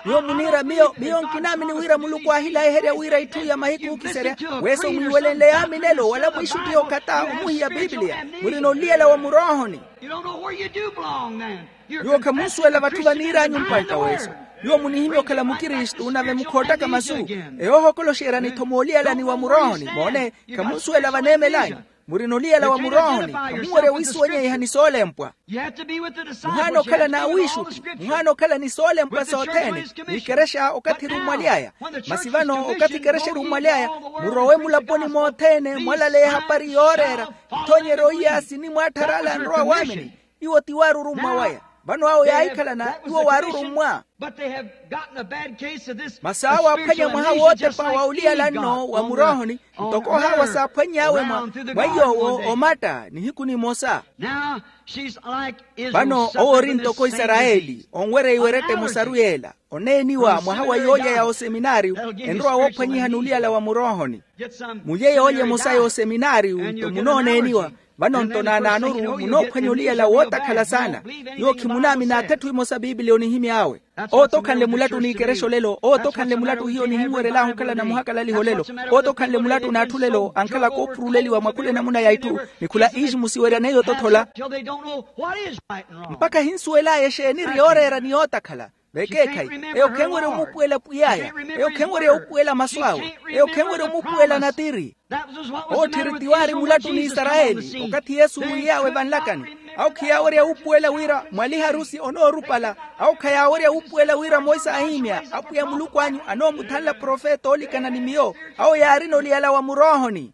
Nyuwo muniira miyo miyo nkinaamini wira muluku aahilaiherya wira itthu ya mahiku ookiserya. Weso mwiiwelenle yaaminelo wala mwiixuttihe okatta omuhiya pipiliya. Murina oliyala wa muroohoni. Nyuwo khamunsuwela vatthu vaniir'anyu mpantta weso. Nyuwo munihimya okhala mukristu nave mukhoottaka masu. Eyo ohokoloxeryani-tho mooliyalani wa muroohoni moone. Khamunsuwela vaneemel'anyu. Murina oliyala wa muroohoni khamunwerya wiisuwanyeiha ni soolempwa. Muhaana okhala n'awiixuttu. Muhaana okhala ni soolempwa sothene. N'ikerexa okathi erummwaly'aya. Masi vano okathi ikerexa erummwaly'aya murowe mulaponi mothene mwalaleya ehapari yooreera. Ithoonyeryo iya sinimwaatthara ala anrowa waamini. Iwo ti waarurummwa waya. Vano awo yaahikhalana iwo waarurummwa. Masi awo aaphwanya mwaha wootepa wa oliyala nno wa muroohoni. Ntoko ohawa saaphwany'awe mwa iy'owo omatta nihiku nimosa. Vano owo ori ntoko isarayeli onwereiwa eretta emosaru y'ela. Oneeniwa mwaha wa yoolya ya oseminaariyu enrowa woophwanyihani oliyala wa muroohoni. Mulye yoolya emosa ya oseminaariyu nto munooneeniwa. Vano nto naanaanoru munoophwanya oliyala wootakhala saana. Nyuwo khimunaamina athetthu emosa pipiliya onihimy'awe. Owo tokhanle mulattu n'ikerexo lelo owo tokhanle mulattu hiyo nihinwerel'ahu okhala na muhakalaliho lelo. Owo tokhanle mulattu n'atthu lelo ankhala koopuruleliwa mwa khula enamuna ya itthu. Ni khula iixi musiweryaneyo totthola. Mpakha hinsuwel'aya exeeni eri yooreera ni yootakhala. Vekeekhayi eyo khenwerya omuupuwela pwiy'aya. Eyo khenwerya omuupuwela masu awe. Eyo khenwerya omuupuwela natiri. Owo tthiri tiwaari mulattu n'isarayeli okathi yesu mwiiy'awe vanlakani. Awo khiyaawerya wuupuwela wira mwaliharusi onoorupala. Awo khayaawerya wuupuwela wira moisa ahiimya apwiya muluku anyu anoomuthanla profeta oolikana ni miyo. Awo yaarina oliyala wa muroohoni.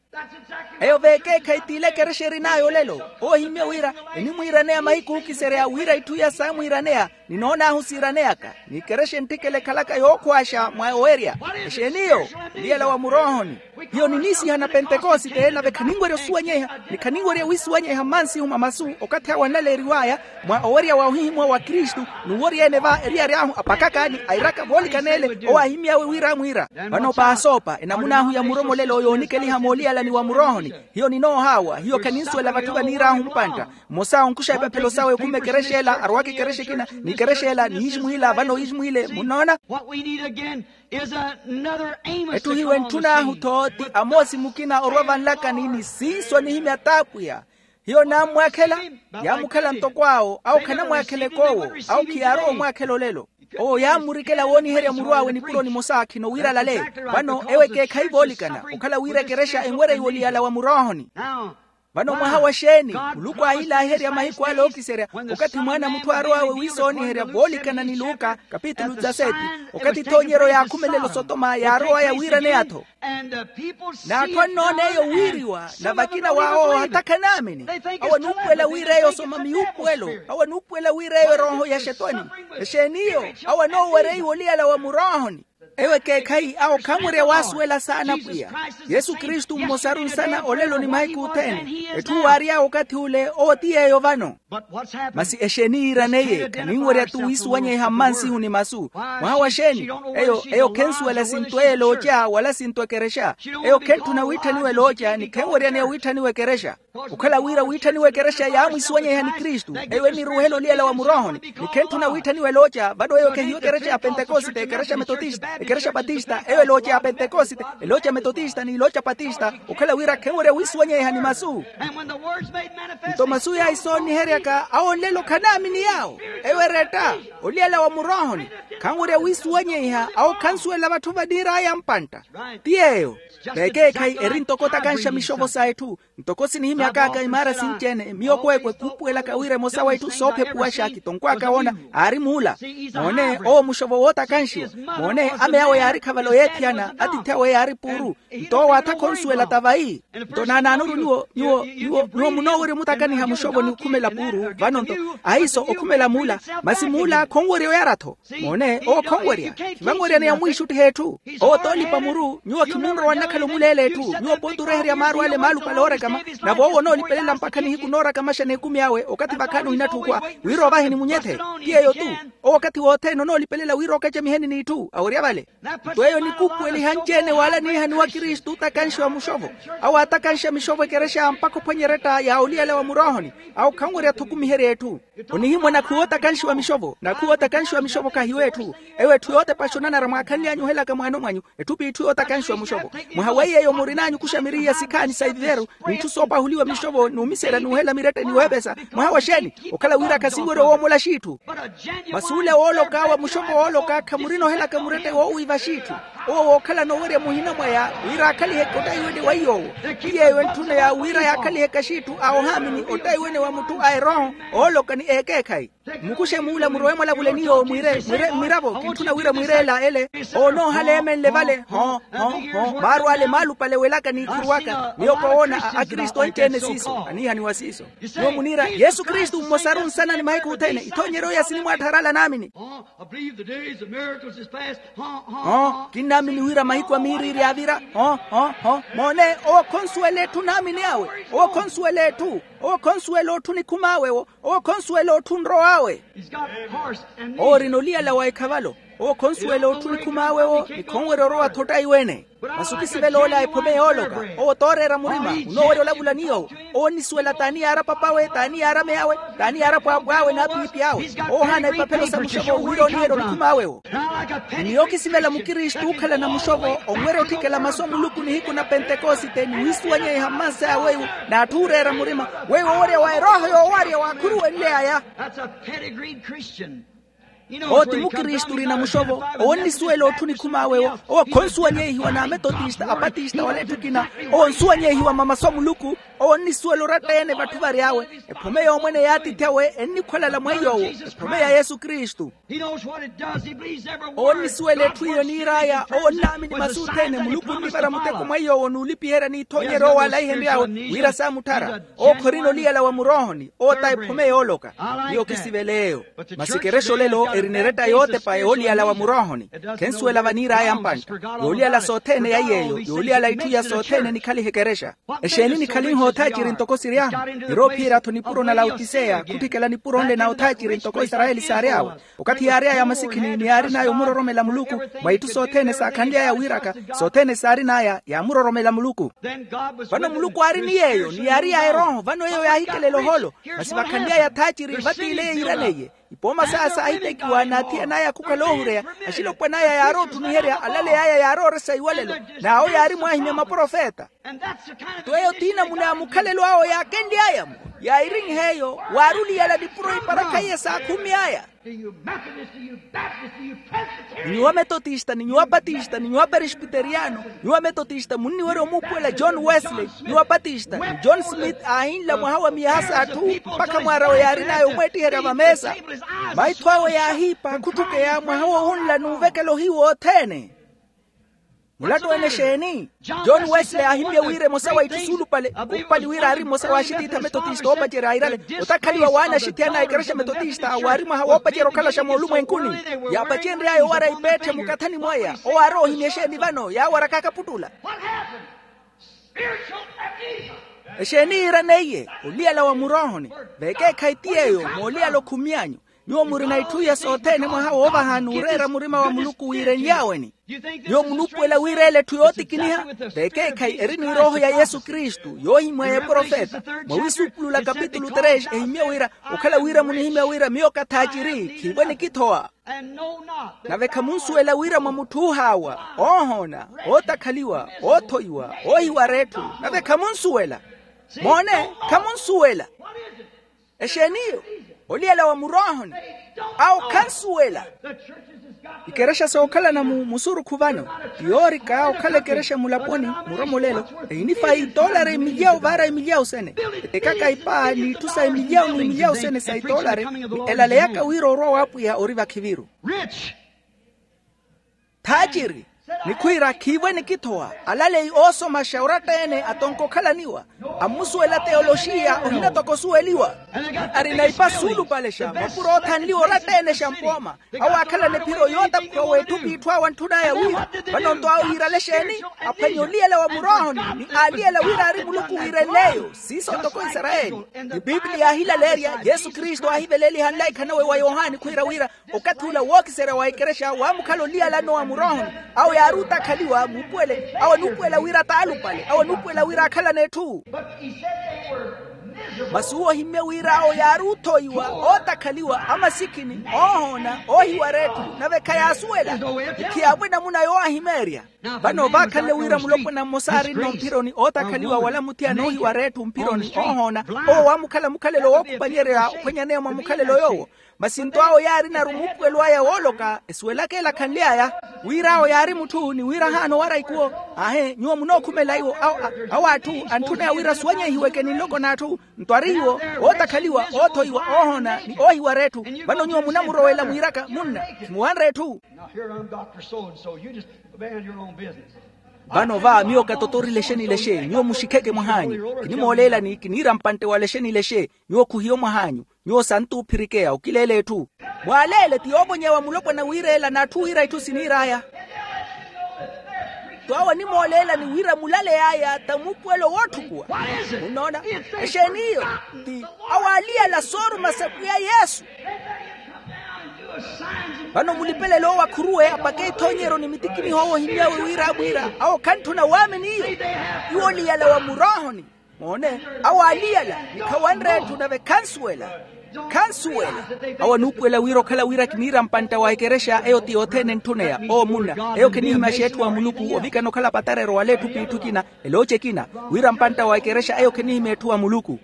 Eyo veekeekhayi t'ile ekerexa erin'aya olelo. Oohimye wira enimwiiraneya mahiku ookiserya wira itthu iya saamwiiraneya. Ninoon'ahu siiraneyaka ni ekerexa entthikela ekhalaka yookhwaaxa mwa owerya. Exeeni eyo? Oliyala wa muroohoni. Hiyo niniisihana pentekosite nave khaninwerya osuwanyeiha ni khaninwerya wisuwanyeiha mmansihu mwa masu okathi awo analeeriw'aya mwa owerya wa ohihimuwa wa kristu. N'uworya-ene va eriyari ahu apakaka ni airaka voolikana ele owo aahimy'awe wira amwiira. Vano paasoopa enamun'ahu ya muromolelo yoonikeliha mooliyalani wa muroohoni. Hiyo ninoohaawa hiyo khaninsuwela vatthu vaniir'ahu mpantta. Mmosa onkuxa epaphelo sawe okhuma ekerexa ela arowaka ekerexa ekina ni ekerexa ela niiximuhila vano iiximuhile munnoona. Etthu hiyo entthun'ahu tho ti amoosi mukina orwa vanlakani ni siiso nihimya t'apwiya. Hiyo naammwaakhela yaamukhala ntoko awo awo khanamwaakhela ekoowo. Awo khiyaarowa omwaakhela olelo. Owo yaammurikela wooniherya muru awe nipuro nimosa khino wira alale. Vano ewo ekeekhayi voolikana okhala wira ekerexa enwereiwe oliyala wa muroohoni. Vano mwaha wa xeeni? Muluku aahilaaherya mahiku ale ookiserya okathi mwaana a mutthu aarow'awe wiisooniherya voolikana ni luka kapitulu dezaseti. Okathi ethoonyeryo yaakhumelela osotoma yaarow'aya wiiraneya-tho. N'atthu annoona eyo wiiriwa na vakina waawo hata khanaamini. Awo anuupuwela wira eyo osoma miyuupuwelo. Awo anuupuwela wira eyo erooho ya xetwani. Exeeni eyo? Awo anoowereiwa oliyala wa muroohoni. Ewo ekeekhayi awo khanwerya waasuwela saana pwiya. Yesu kristu mmosaru nsana olelo ni mahiku othene. Etthu waary'awe okathi ule owo ti yeeyo vano. Masi exeeni yiiraneiye khaninwerya-tho wiisuwanyeiha mmansihu ni masu. Mwaha wa xeeni? Eyo eyo khensuwela sinto eyo elooca wala sinto ekerexa. Eyo khentthuna witthaniwa elooca ni khenweryaneya witthaniwa ekerexa. Okhala wira witthaniwa ekerexa yaamwisuwanyeiha ni kristu eyo eniruuhela oliyala wa muroohoni. Ni khentthuna witthaniwa elooca vano eyo khehiwa ekerexa ya pentekosite ekerexa metotista ekerexa batista eyo elooca ya pentekosite elooca metotista n'ilooca batista. Okhala wira khenwerya wiisuwanyeiha ni masu. Nto masu yaisooniheryaka awo nlelo khanaamini yaawo. Eyo eretta oliyala wa muroohoni. Khanwerya wiisuwanyeiha awo khansuwela vatthu vaniir'aya mpantta. Ti yeeyo. Vekeekhayi eri ntoko otakanxa mixovo sa etthu. Ntoko sinihimyak'aka imaara sinci-ene miyo kweekwe khuupuwelaka wira emosa wa itthu soophepuwaxa kitonkwaaka woona. Aari muula. Moone owo muxovo wootakanxiwa. Moone ame awe yaari khavalo yeethiyana atiithi awe yaari puuru. Nto owo aatha khonsuwela ta vayi. Nto naanaanuru nyuwo nyuwo nyuwo nyuwo munoowerya omutakaniha muxovo ni okhumela puuru vano nto ahiiso okhumela muula. Masi muula khonwerya oyara-tho. Moone owo khonwerya. Khivanweryaneya omwiixuttiha etthu. Owo t'olipa muru nyuwo khimunrowa nnakhala omuleela etthu nyuwo pooti oreherya maaru ale maalupale oorakama. Nave owo onoolipelela mpakha nihiku noorakamaxa n'ekumi awe okathi vakhaani ohinatthukhwa wira ovahe nimunyethe. Ti yeeyo-tu. Owo okathi wothene onoolipelela wira okacamiheni n'itthu awerya vale. Nto eyo enikuupuweliha anci-ene wala niihaniwa kristu otakanxiwa muxovo. Awo aatakanxa mixovo ekerexa mpakha ophwanya eretta ya oliyala wa muroohoni. Awo khanwerya-tho okumiherya etthu. Onihimwa nakhuwa otakanxiwa mixovo nakhuwa otakanxiwa mixovo khahiwa etthu. Ewo etthu yootepaxa onanara mwaakhanly'anyu ohelaka mwaano mwanyu. Etthu p'itthu yootakanxiwa muxovo. Mwaha weiyeyo murin'anyu okuxa miri ya sikhaani sa iviveru n'itthu soopahuliwa mixovo n'umiserya n'uhela mirette ni weepesa. Mwaha wa xeeni? Okhala wira khasinwerya owoomola xiitthu. Masi ule wooloka wa muxopo wooloka khamurina ohelaka murette woowiiva xiitthu. Owo wookhalana owerya muhina mwaya wira aakhaliheke ottayiwene wa iy'owo. Ti yeeyo entthuna ya wira yaakhaliheka xiitthu a ohaamini ottayiwene wa mutthu a erooho ooloka ni ekeekhayi. Mukuxe muula murowe mwalavule ni yoowo mwiire mwiire mmiravo kintthuna wira mwiireela ele. Owo onoohala eemenle vale ho ho ho maaru ale maalupale welaka n'ikhuruwaka miyo kowoona a akristu anci-ene siiso aniihaniwa siiso. Nyuwo muniira yesu kristu mmosaru nsana ni mahiku othene ithoonyeryo ya sinimwaattharala naamini. Ho kinnaamini wira mahiku a miiriiri yaavira. Ho ho ho moone owo khonsuwela etthu naamini awe. Owo khonsuwela etthu. Owo khonsuwela otthu nikhum'awe-wo. Owo khonsuwela otthu nrow'awe. Owo orina oliyala wa ekhavalo. Owo khonsuwela otthu nikhum'awe-wo ni khonwerya orowa-tho ottayiwene. Masi okisivela ola ephome yooloka. Owo tooreera murima onoowerya olavula ni yoowo. Owo onnisuwela t'ani yaara pap'awe t'ani yaara mey'awe t'ani yaara pwaapw'awe n'apiipi awe. Owo ohaana ipaphelo sa muxovo wira oniherya onikhum'awe-wo. Ni miyo okisivela mukristu ookhalana muxovo onwerya otthikela masu a muluku nihiku na pentekosite ni wiisuwanyeiha mmansaya weiwo. N'atthu ooreera murima weiwo owerya wa erooho yoowarya waakhuruwenle aya. Owo ti mukristu orina muxovo. Owo onnisuwela otthu nikhum'awe-wo. Owo khonsuwanyeihiwa n'ametotista apatista wala etthu ekina. Owo onsuwanyeihiwa mamasu a muluku. Owo onnisuwela oratta-ene vatthu vary'awe. Ephome y'omwene y'atiithi awe ennikhwalala mwa iy'owo. Ephome ya yesu kristu. Owo onnisuwela etthu iyo niir'aya. Owo onnaamini masu othene muluku onnivara muteko mwa iy'owo n'ulipiherya n'ithoonyerya owo alaihenry'awe wira saamutthara. Owo khorina oliyala wa muroohoni. Owo ta ephome yooloka. Miyo kisivela eyo. Masi ekerexa olelo erina eretta yootepa yooliyala wa muroohoni. Khensuwela vaniir'aya mpantta. Yooliyala sothene ya yeeyo yooliyala itthu iya sothene nikhaliha ekerexa. Exeeni nikhalinha othaaciri ntoko siryahu? Niroophiyerya-tho nipuro na lautiseya khutthikela nipuro nle na othaaciri ntoko isarayeli saary'awe. Okathi yaary'aya masikhini ni yaarin'aya omuroromela muluku mwa itthu sothene saakhanly'aya wiiraka. Sothene saarin'aya yaamuroromela muluku. Vano muluku aari ni yeeyo ni yaari ya erooho vano eyo yaahikelela oholo. Masi vakhanly'aya thaaciri vattiile yiiraneiye. Ipooma saya saahitekiwa n'athiyan'aya khukhala oohureya. Axilopwan'aya yaarootthuniherya alaley'aya yaarooresa iwalelo. N'awo yaari mwaahimya maprofeta. Nto eyo tiinamuna ya mukhalelo awo yaakenly'aya-mo. Yaahirin'eyo waaruliyala nipuro iparakha iye saakhumi aya. Ni nyuwo ametotista ni nyuwo apatista ni nyuwo aperispiteriyano. Nyuwo ametotista munniwerya omuupuwela john wesley. Nyuwo apatista ni john smith aahinla mwaha wa miyaha s'atthu mpakha mwaarawe yaarin'aya omweettiherya vameesa. Maitho awe yaahiipa khutthukeya mwaha woohunla n'uvekela ohiiwa othene. Mulattu-ene exeeni? John wesley aahimmye wira emosa wa itthu suulupale okhupali wira aari mmosa wa axitiithi ametotista oopacerya airale. Otakhaliwa w'anaxithiyana a ekerexa metotista waari mwaha woopacerya okhalaxa moolumwenkuni. Yaapacenry'aya owara ipeetthe mukathani mwaya owo aari oohimya exeeni vano yaawarak'aka puttula. Exeeni yiiraneiye? Oliyala wa muroohoni. Vekeekhayi ti yeeyo mooliyala okhumi anyu. Nyuwo murina itthu iya sothene mwaha woovaha n'ureera murima wa muluku wiirenly'aweni. Nyuwo munuupuwela wira ele etthu yootikiniha? Vekeekhayi eri ni erooho ya yesu kristu yoohimweya eprofeta. Mwa wisuupulula kapitulu tres ehimmye wira okhala wira munihimya wira miyo kathaaciri khiivo enikithowa. Nave khamunsuwela wira mwa mutthu oohaawa, oohoona, ootakhaliwa, oothoiwa, oohiwara etthu. Nave khamunsuwela. Moone, khamunsuwela. Exeeniyo? Oliyela wa muroohoni. Awo khansuwela. Ikerexa sookhalana mu musurukhu vano, yoorika okhala ekerexa mulaponi muromolelo. Ehinifaya itoolari emilyawu vaara emilyawu sene. Etekaka ipaa n'itthu sa emilyawu n'emilyawu sene sa itoolari. Ni elaleyaka wira orwa w'apwiya ori vakhiviru. Thaaciri. Ni khwiira khiivo enikithowa. Alaleyi oosomaxa oratta-ene atonka okhalaniwa. Ammusuwela teyoloxiya ohina toko osuweliwa. Ni arina ipa suulupalexa mapuro oothanliwa oratta-ene xa mpooma. Awo aakhalana ephiro yootapukha w'etthu p'itthu awo antthun'aya wira. Vano-nto awo yiirale exeeni? Aphwanya oliyela wa muroohoni. Ni aaliyela wira aari muluku wiirenle eyo siiso ntoko isarayeli. Ni pipiliya yaahilaleerya yesu kristu aahiveleliha nlaikha nawe wa yohani khwiira wira okathi ula wookiserya wa ekerexa waamukhala oliyalano wa muroohoni. Awo yaari otakhaliwa muupuwele awo anuupuwela wira t'alupale awo anuupuwela wira aakhalana etthu. Masi uwo ohimmye wira awo yaari othoiwa ootakhaliwa amasikhini oohoona oohiwara etthu nave khayaasuwela. Ni khiyaamwi enamuna yoowahimeerya. Vano vaakhanle wira mulopwana mmosa aarinno mphironi ootakhaliwa wala muthiyana oohiwara etthu mphironi oohoona. Owo waamukhala mukhalelo wookhupanyerya ophwanyaneya mwa mukhalelo yoowo. Masi nto awo yaarinaru muupuwelo aya wooloka esuwelaka ela khanly'aya. Wira awo yaari mutthu ni wira ahaana owara ikuwo. Aahe nyuwo munookhumela iwo awo atthu antthuneya wira asuwanyehiweke ni nloko n'atthu. Nto ari iwo ootakhaliwa oothoiwa oohoona ni oohiwara etthu. Vano nyuwo munamurowela mwiiraka munna khimuwanre etthu. Vano va miyo katotorile exenilexe nyuwo muxikheke mwah'anyu. Kinimooleelani kiniira mpantte wala exenilexe. Nyuwo khuhiyo mwah'anyu. Nyuwo santuuphirikeya okileela etthu. Mwaaleele ti yoovonyewa mulopwana wiireela n'atthu wira itthu siniir'aya. Twawo animooleelani wira mulaley'aya ta muupuwelo wootthukuwa. Munnoona? Exeeni iyo? Ti awo aaliyala sooruma sa pwiya yesu. Vano mulipelele owo akhuruwe apake ithoonyeryo ni mitikiniho owo ohimmy'awe wira amwiira awo khantthuna waamini iyo. Iwo oliyala wa muroohoni. Moone, awo aaliyala ni khawanre etthu nave khansuwela. Khansuwela. Awo anuupuwela wira okhala wira kiniira mpantta wa ekerexa eyo ti yothene entthuneya oo munna. Eyo khenihimaxa etthu wa muluku ovikana okhala patarero wala etthu p'itthu ekina. Elooci ekina wira mpantta wa ekerexa eyo khenihimya etthu wa muluku.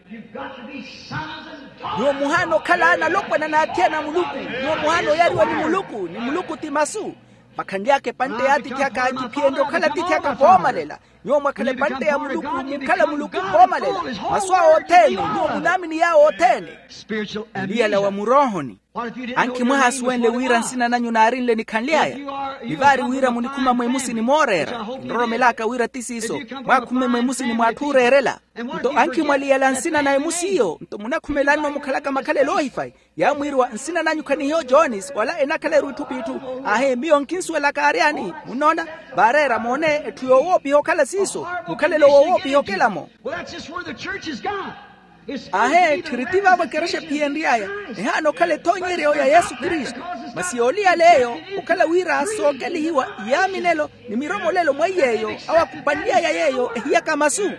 Nyuwo muhaana okhala analopwana n'athiyana a muluku. Nyuwo muhaana oyariwa ni muluku ni muluku ti masu. Vakhanly'aka epantte y'atiithi aka kiphiyenrye okhala atiithi aka voomalela. Nyuwo mwakhala epantte ya muluku, mukhala muluku voomalela. Masu awo othene, nyuwo munaamini yaawo othene. Oliyala wa muroohoni. Ankhi mwahaasuwenle wira nsina nanyu naarinle nikhanly'aya? Ni vaari wira munikhuma mwemusini mooreera. Kinroromelaka wira ti siiso, mwaakhumme mwemusini mw'atthu ooreerela. Nto ankhi mwaliyala nsina na emusiyo nto munakhumelanno mukhalaka makhalelo oohifayi. Yaamwiiriwa nsina nanyu khanihiyo jones wala enakhala eruitthu p'itthu. Aahe miyo nkinsuwelaka aaryani? Munnoona? Vaareera moone etthu yoowoopiha okhala siiso. Mukhalelo woowoopiha okela-mo. Aahe tthiri ti vaavo ekerexa ephiyenry'aya. Ehaana okhala ethoonyeryo ya yesu kristu. Masi yooliyala eyo okhala wira sookelihiwa iyaaminelo ni miromolelo mweiy'eyo. Awo akupanly'aya yeeyo ehiyaka masu.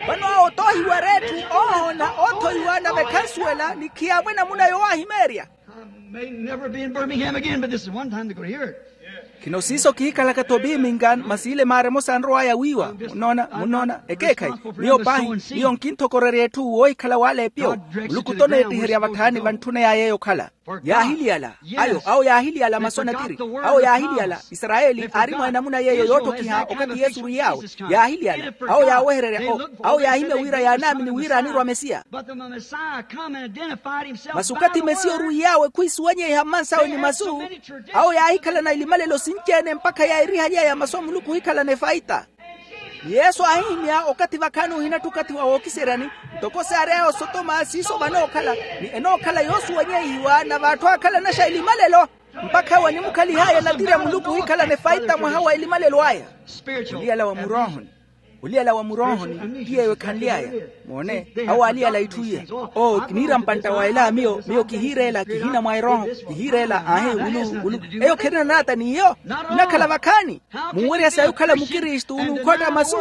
Vano awo toohiwara etthu oohoona oothoiwa nave khansuwela ni khiyaamwe namuna yowaahimeerya. Khino siiso kihikhalaka-tho biimingan masi ile maara emosa anrow'aya wiiwa. Munnoona munnoona ekeekhayi. Miyo paahi miyo nkinthokorerya etthu woohikhala w'aleepiyo. Muluku toneettiherya vathaani vantthuneya yeeyo okhala. Yaahiliyala. Ayo awo yaahiliyala masu anatiri. Awo yaahiliyala. Isarayeli aari mwa enamuna yeeyo yootthokiha okathi yesu orwiy'awe. Yaahiliyala. Awo yaawehererya o awo yaahimya wira yaanaamini wira anirwa mesiya. Masi okathi mesiya orwiy'awe khwiisuwanyeiha mmansawe ni masu. Awo yaahikhalana ilimalelo sinci-ene mpakha yaahirihaly'aya masu a muluku ohikhalana efaita. Ni yesu aahihimya okathi vakhaani ohinatthi okathi wa wookiseryani. Ntoko saary'aya osotoma siiso vanookhala ni enookhala yoosuwanyeihiwa na vaatthu aakhalanaxa ilimalelo. Mpakha awo animukhalih'aya natiri a muluku ohikhalana efaita mwaha wa ilimalelo aya. Oliyala wa muroohoni. Oliyala wa muroohoni ti yeeyo ekhanly'aya. Moone. Awo aaliyala itthu iya. Oo kiniira mpantta wa ela miyo miyo kihiireela kihina mwa erooho. Kihiireela aahi wulu wulu. Eyo kherina naata n'iyo. Nnakhala vakhaani. Munwerya sayi okhala mukristu n'ukhootta masu.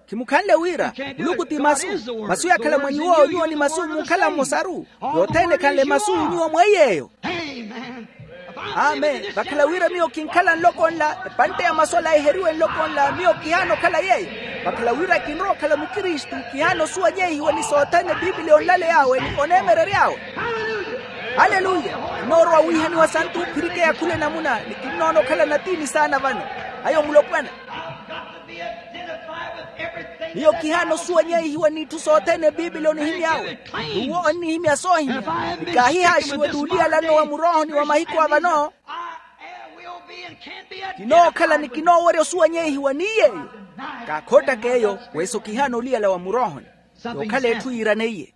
Khimukhanle wira muluku ti masu. Masu yaakhala mwa nyuwo nyuwo ni masu muukhala mmosaru. Yothene ekhanle masu nyuwo mweiy'eyo. Amen vakhala wira miyo kinkhala nloko nla epantte ya masu ala eheriwe nloko nla miyo kihaana okhala yeeyo. Vakhala wira kinrowa okhala mukristu kihaana osuwanyeihiwa ni sothene bibiliya onlaley'awe ni oneemerery'awe. Haleluya. Kinoorowa wiihaniwa santu phirikeya khula enamuna ni kinnoona okhala natiini saana vano. Ayo mulopwana. Miyo kihaana osuwanyeihiwa n'itthu sothene bibiliya onihimy'awe. N'uwo onnihimya soohimya. Ni kaahihaaxiwe t'uliyalanno wa muroohoni wa mahiku a vano. Kinookhala ni kinoowerya osuwanyeihiwa ni yeeyo. Kaakhoottaka eyo. Weso kihaana oliyala wa muroohoni. Yookhala etthu yiiraneiye.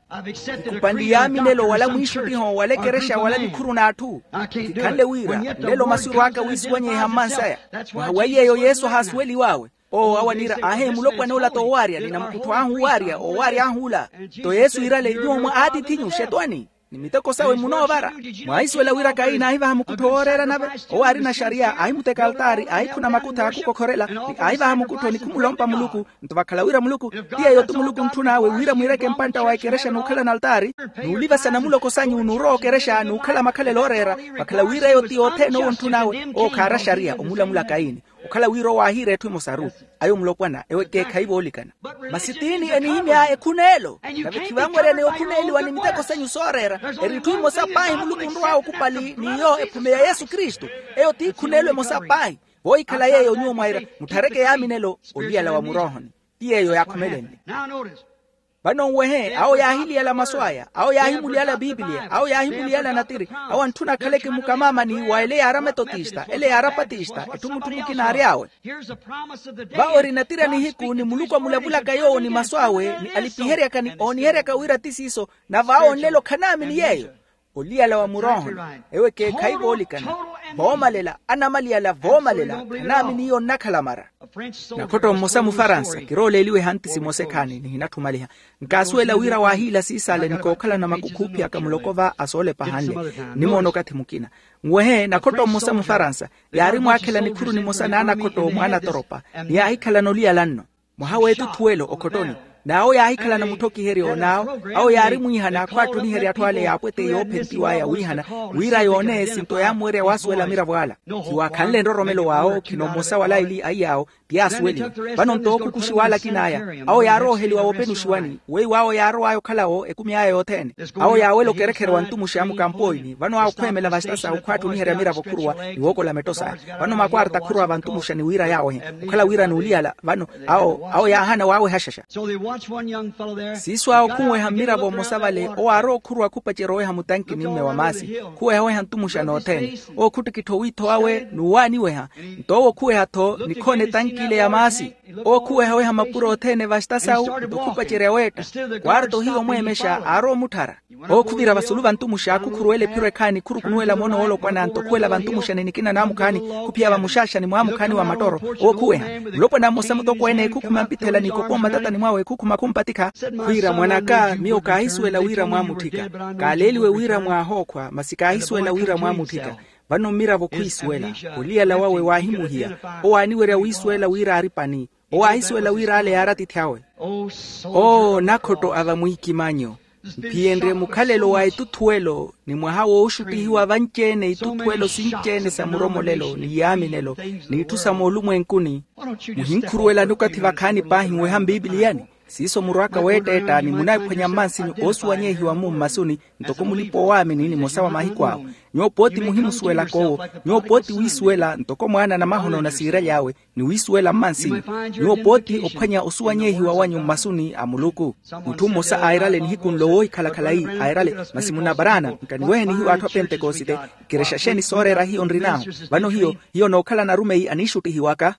Kikhupanle iyaaminelo wala mwiixuttiho wala ekerexa wala nikhuru n'atthu. Kikhanle wira nlelo masu erw'aka wiisuwanyeiha mmansaya. Mwaha wa iy'eyo yesu ahaasuweliw'awe. Oo awo aniira aahe mulopwana ola t'owaarya ni namukuttho ahu owaarya owaarya ahu ola. Nto yesu iirale nyuwo mwa aatiith'inyu xetwani ni miteko sawe munoovara. Mwaahisuwela wira kayini aahivaha mukuttho wooreera nave. Owo aarina xariya aahimuteka altaari aahikhuna makutha aakukokhorela ni aahivaha mukuttho ni khumulompa muluku. Nto vakhala wira muluku ti yeeyo ti muluku ntthun'awe wira mwiireke mpantta wa ekerexa n'ukhalana altaari n'ulivasa namuloko sanyu n'urowa okerexa n'ukhala makhalelo ooreera. Vakhala wira eyo ti yothene owo ntthun'awe owo khaara xariya omulamula kayini. Okhala wira owo aahiira etthu emosaru. Ayo mulopwana ewo ekeekhayi voolikana. Masi tiini enihimya ekhun'elo nave khivanweryaneya okhun'eliwa ni miteko sanyu sooreera. Eri etthu emosa paahi muluku onrow'awe okupali n'iyo ephume ya yesu kristu. Eyo ti ekhun'elo emosa paahi. Voohikhala yeeyo nyuwo mwaira mutthareke yaaminelo oliyala wa muroohoni. Ti yeeyo yaakhumelenle. Vano nwehe awo yaahiliyala masu aya awo yaahimuliyala bibiliya awo yaahimuliyala natiri. Awo antthuna akhaleke mukamaamani wa ele yaari ametotista ele yaari apatista etthu mutthu mukina aary'awe. Vawo eri natiri a nihiku ni muluku amulavulaka yoowo ni masu awe ni alipiheryaka ni ooniheryaka wira ti siiso. Nave awo nlelo khanaamini yeeyo. Oliyala wa muroohoni ewo ekeekhayi voolikana. Voomalela anamaliyala voomalela khanaamini iyo nnakhala mara. Nakhotto mmosa mufaransa kirooleeliwe ehantisi mosa ekhaani nihinatthumaliha. Nkaasuwela wira waahiila siisale ni kookhalana makukhuuphiyaka muloko va asoolepa ahanle. Nimoona okathi mukina nwehe nakhotto mmosa mufaransa yaari mwaakhela nikhuru nimosa n'anakhotto mwaanatoropa ni yaahikhalana oliyala nno. Mwaha w'etutthuwelo okhottoni N'awo yaahikhalana muthokiheryo n'awo, awo yaari mwiihana khwaattuniherya atthu ale yaapwete yoophentiw'aya wiihana, wira yoone esinto yaamuwerya waasuwela amiravo ala. Khiwaakhanle nroromelo w'awo khino mmosa wa laili aiy'awo, ti yaasuweliwa. Vano nto ookhukuxiwa ale akin'aya, awo yaarooheliwa woopenuxiwani weiwo awo yaarow'aya okhalawo ekumi aya yothene. Awo yaawela okerekhere wa ntumuxa mukampooini vano awo khweemela vastasa okhwaattuniherya miravo khuruwa ni wookola metto saya. Vano makwarta khuruwa vantumuxani wira yaawehe, okhala wira n'uliyala vano awo yaahana waawehaxaxa. Siiso awo khunweha mmiravo mmosa vale owo aarowa okhuruwa khupacerya oweha mutanki ni mme wa maasi. Khuweha oweha ntumuxa n'othene, owo khuttikittha owiitho wawe n'uwaaniweha. Nto owo okhuweha-tho nikhoona etanki ile ya maasi. Owo khuweha oweha mapuro othene vastasa awu nto khupacerya weetta. Kwarta ohiya omweemexa aarowa omutthara. Owo khuvira vasulu vantumuxa khukhuruwela ephiro ekhaani khurukunuwela moono woolopwana nto khuwela vantumuxani nikina naamukhaani, khuphiya vamuxaxani mwaamukhaani wa mattooro. Owo khuweha, mulopwana mmosa mutokweene khukhuma mpithela n'ikoko mmatatani mwawe khukhuma khumpatikha. Khwiira mwan'aka miyo kaahisuwela wira mwaamutthika. Kaaleeliwe wira mwaahookhwa masi kaahisuwela wira mwaamutthika. Vano mmiravo khwiisuwela. Oliyala wawe waahimuhiya. Owo aaniwerya wiisuwela wira aari pani. Owo aahisuwela wira ale yaari atiithi awe. Oo nakhotto a vamwiikimanyo, mphiyenrye mukhalelo wa itutthuwelo ni mwaha wooxuttihiwa vanci-ene itutthuwelo sinci-ene sa muromolelo ni yaaminelo, n'itthu sa moolumwenkuni. Muhinkhuruwelani okathi vakhaani paahi nweha mpipiliyani. Siiso murw'aka weetteetta ni munaiphwanya mmansinyu oosuwanyehiwa-mu mmasuni, ntoko mulipa-oowaamini nimosa wa mahiku awo. Nyuwo pooti muhimusuwelaka owo. Nyuwo pooti wiisuwela ntoko mwaana a namahono na siiraly'awe, ni wiisuwela mmansinyu. Nyuwo pooti ophwanya osuwanyehiwa wanyu mmasuni a muluku. Mutthu mmosa airale nihiku nlo woohikhalakhala ii, airale, masi munna paraana nkaniwehe nihiwa atthu a pentekosite. Ikerexa xeeni sooreera hiyo nrin'ahu? Vano hiyo hiyo nookhalana arumeyi aniixuttihiwaka.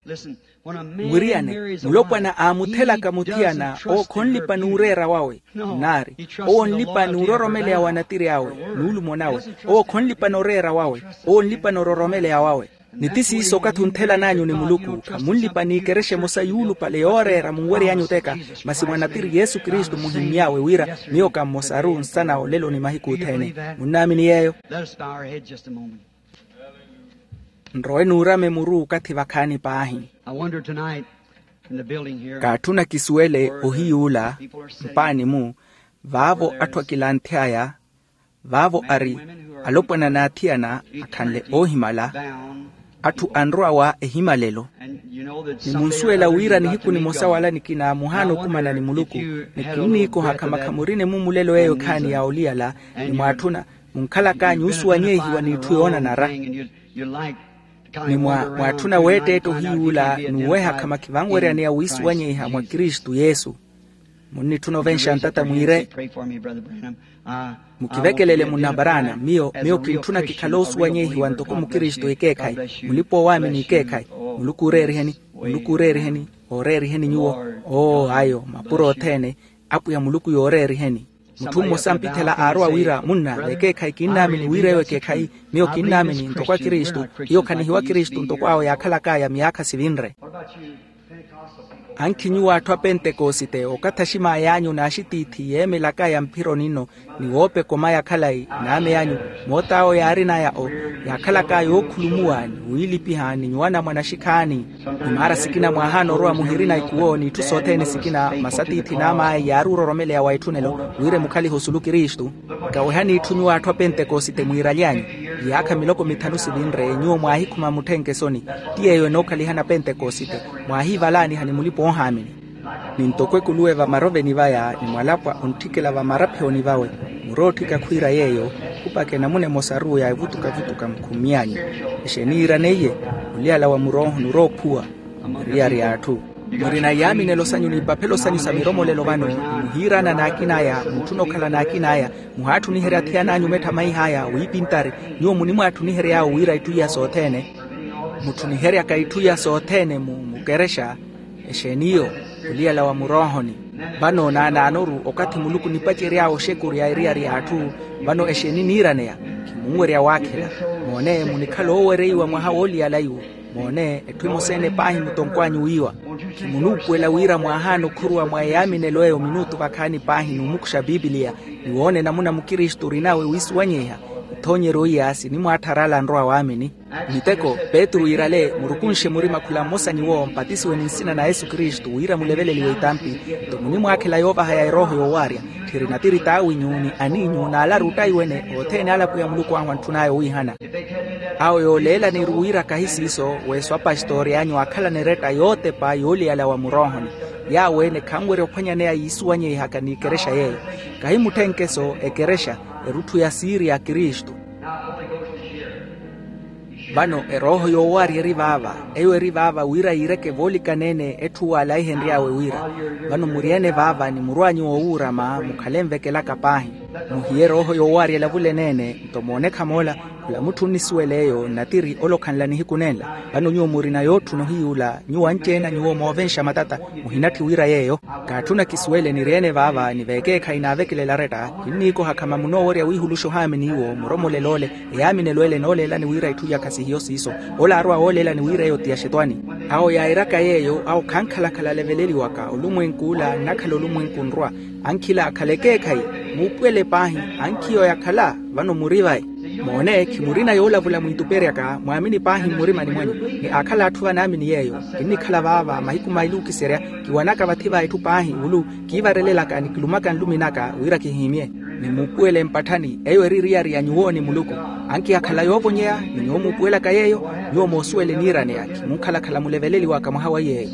Mwiriyane, mulopwana aamuthelaka muthiyana owo khonlipa n'ureera wawe. Nnaari, owo onlipa n'uroromeleya wa natiri awe, n'ulumo nawe. Owo khonlipa n'oreera wawe. Owo onlipa n'ororomeleya wawe. Ni ti siiso okathi onthelan'anyu ni muluku khamunlipa n'ikerexa emosa yuulupale yooreera munwery'anyu oteka. Masi mwa natiri yesu kristu muhimmy'awe wira miyo ka mmosaru nsana olelo ni mahiku othene. Munnaamini yeeyo? Nrowe nuurame muru okathi vakhaani paahi. Kaatthuna kisuwele ohiyuula mpaani-mu vaavo atthu akilanthy'aya. Vaavo ari alopwana n'athiyana akhanle oohimala. Atthu anrowa ehimalelo. Ni munsuwela wira nihiku nimosa wala nikina muhaana okumana ni muluku. Ni kinniikoha khamakha murine-mu mulelo eyo ekhaani ya oliyala. Ni mwaatthuna munkhalak'anyu osuwanyehiwa n'itthu yoonanara. Ni mwaatthuna weetteetta ohiyuula n'uweha khamakhivanweryaneya wiisuwanyeiha mwa kristu yesu. Munnitthuna ovenxa ntata mwiire. Mukivekelele munna paraana miyo miyo kintthuna kikhale osuwanyeihiwa ntoko mukristu ekeekhayi. Mulipa-oowaamini ekeekhayi. Muluku ooreeriheni. Muluku ooreeriheni. Ooreeriheni nyuwo. Oo ayo mapuro othene. Apwiya muluku yooreeriheni. Mutthu mmosa mpithela aarowa wira munna vekeekhayi kinnaamini wira eyo ekeekhayi. Miyo kinnaamini ntoko akristu. Hiyo khanihiwa kristu ntoko awo yaakhalak'aya myaakha sivinre. Ankhi nyuwo atthu a pentekosite okathaxim'ay'anyu n'axitiithi yeemelak'aya mphironi nno. Ni woopeka omaya khalayi n'amey'anyu moot'awo yaarin'aya o yaakhalak'aya ookhulumuwa ni wiilipiha ni nyuwo anamwane axikhaani. Ni maara sikina mwaahaana orowa muhirina ikuwo n'itthu sothene sikina masi atiithi n'am'aya yaari ororomeleya wa etthunelo wira emukhalihe osulu kristu. Nkawehani itthu nyuwo atthu a pentekosite mwiiraly'anyu. Iyaakha miloko mithanu sivinre nyuwo mwaahikhuma mutthenke esoni. Ti yeeyo enookhalihana pentekosite. Mwaahiivalaaniha ni mulipa-oohaamini. Ni ntoko ekuluwe vamaroveni vaya ni mwalapwa ontthikela vamaraphiyoni vawe. Murootthika khwiira yeeyo. Khupakhe namuna emosaru ya evutukavutuka mukhummy'anyu. Exeeni yiiraneiye? Oliyala wa murooho niroophuwa. Eriyari y'atthu. Murina iyaaminelo sanyu n'ipaphelo sanyu sa miromolelo vano. Muhiirana n'akin'aya mutthu onokhala n'akin'aya. Muhaatthuniherya athiyana anyu metthamaiha aya wiipintari. Nyuwo munimwaatthunihery'awo wira itthu iya sothene. Mutthuniheryaka itthu iya sothene mu mukerexa. Exeeni iyo? Oliyala wa muroohoni. Vano naanaanoru okathi muluku onipacery'awo oxekuri a eriyari y'atthu. Vano exeeni niiraneya? Khimunwerya waakhela. Moone munikhala oowereiwa mwaha wooliyala iwo. Moone etthu emosa-ene paahi mutonkw'anyu wiiwa. Khimunuupuwela wira mwaahaana okhuruwa mwa eyaaminelo eyo minuutu vakhaani paahi n'umukuxa pipiliya. Ni woone namuna mukristu orinawe wiisuwanyeiha. Ethoonyeryo iya sinimwaatthara ala anrowa waamini. Miteko, petru iirale murukunxe murima khula mmosa nyuwo mpatisiwe ni nsina na yesu kristu wira muleveleliwe itampi. Nto munimwaakhela yoovahaya erooho yoowaarya. Tthiri natiri t'awinyu ni aniinyu n'alaru ottayi wene othene ale apwiya muluku ahu antthun'aya owiihana. Awo yooleelaniru wira kahi siiso, weeso apastori anyu aakhalana eretta yootepa yooliyala wa muroohoni. Yaawo ene khanwerya ophwanyaneya yiisuwanyeihaka n'ikerexa yeeyo. Kahi mutthenkeso ekerexa, erutthu ya siiri ya kristu. Vano erooho yoowaarya eri vaava. Eyo eri vaava wira yiireke voolikaneene etthu waalaihenry'awe wira. Vano muri-ene vaava ni murw'anyu woowuurama mukhale nvekelaka paahi. Muhiye erooho yoowaarya elavuleneene. Nto moonekha moola, khula mutthu onnisuwela eyo nnatiri ole okhanla nihiku nenla. Vano nyuwo murina yootthuna ohiy'ula nyuwo anci-ene a nyuwo moovenxa matata. Muhinatthi wira yeeyo. Kaatthuna kisuwele niri-ene vaava ni veekeekhayi naavekelela aretta. Kinniikoha khama munoowerya wiihuluxa ohaamini iwo muromolelo ole. Eyaaminelo ele enooleelani wira itthu iyaka sihiyo siiso. Ole aarwa wooleelani wira eyo ti ya xetwani. Awo yaairaka yeeyo awo khankhalakhala aleveleliwaka olumwenk'ula nnakhala olumwenku nrwa. Ankhila akhala ekeekhayi. Muupuwele paahi. Ankhiyo yakhala. Vano muri vayi. Moone khimurina yoolavula mwiituperyaka mwaamini paahi mmurimani mwanyu. Ni aakhala atthu vanaamini yeeyo. Kinnikhala vaava mahiku maili okiserya. Kiwanaka vathi va etthu paahi wulu kiivarelelaka ni kilumaka nlumi naka wira kihihimye. Ni muupuwele mpatthani eyo eri eriyari ya nyuwo ni muluku. Ankiyakhala yoovonyeya. Ni nyuwo muupuwelaka yeeyo nyuwo moosuwele eniiraneya. Khimunkhalakhala muleveleliwaka mwaha wa yeeyo.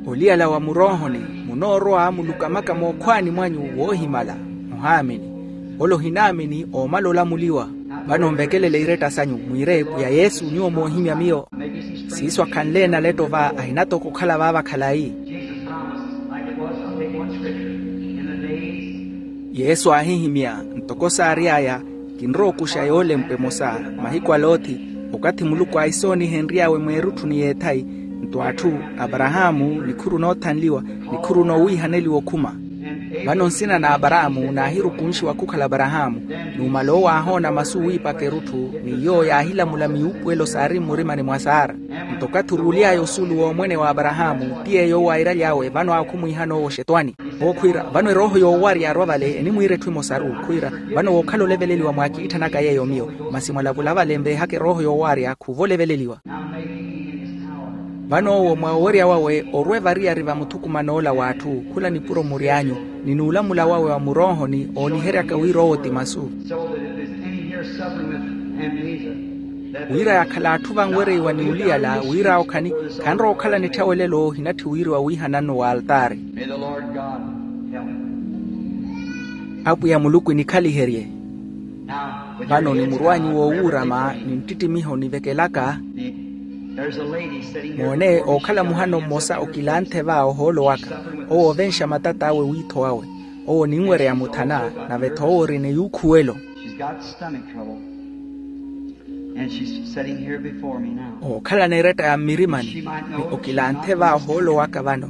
Oliyala wa muroohoni munoorwa mulukamaka mookhwaani mwanyu woohimala. Muhaamini. Ole ohinaamini oomala olamuliwa. Vano nvekelele iretta sanyu mwiire pwiya yesu nyuwo moohimya miyo. Siiso akhanle naletto va ahinatoko okhala vaava khalayi. Yesu aahihimya. Ntoko saary'aya kinrowa okuxa yoolempwa emosa mahiku a loti. Okathi muluku aisoonihenry'awe mweerutthu ni yeethayi nto atthu aparahaamu nikhuru noothanliwa nikhuru noowiihaneliwa okhuma. Vano nsina na aparahaamu naahirukunxiwa khukhala aparahaamu. Numala owo aahoona masu wiipaka erutthu ni yoowo yaahilamula miyuupuwelo saari mmurimani mwa saara. Nto okathi oruuly'aya osuulu w'omwene w'aparahaamu ti yeeyo owo airaly'awe vano awo khumwiihana owo xetwani. Owo khwiira vano erooho yoowarya yaarwa vale enimwiira etthu emosaru khwiira. Vano wookhala oleveleliwa mwaakiitthanaka yeeyo miyo. Masi mwalavula vale nveehaka erooho yoowarya khuuva oleveleliwa. Vano owo mwa owerya wawe orwa evariyari va muthukuman'ola w'atthu khula nipuro mury'anyu ni nuulamula wawe wa muroohoni ooniheryaka wira owo ti masu. Wira yakhala atthu vanwereiwa ni oliyala wira awo khani khanrowa okhalana etthawelelo ohinatthi wiriwa wiihananno wa altaari. Apwiya muluku enikhaliherye. Vano ni murw'anyu woowuurama ni nttittimiho nivekelaka. Moone ookhala muhano mmosa okilanthe va ohoolo waka. Owo ovenxa matat'awe wiitho wawe. Owo oninwereya muthana. Nave-tho owo orina eyuukhuwelo. Ookhalana eretta ya mmirimani ni okilanthe va ohoolo waka vano.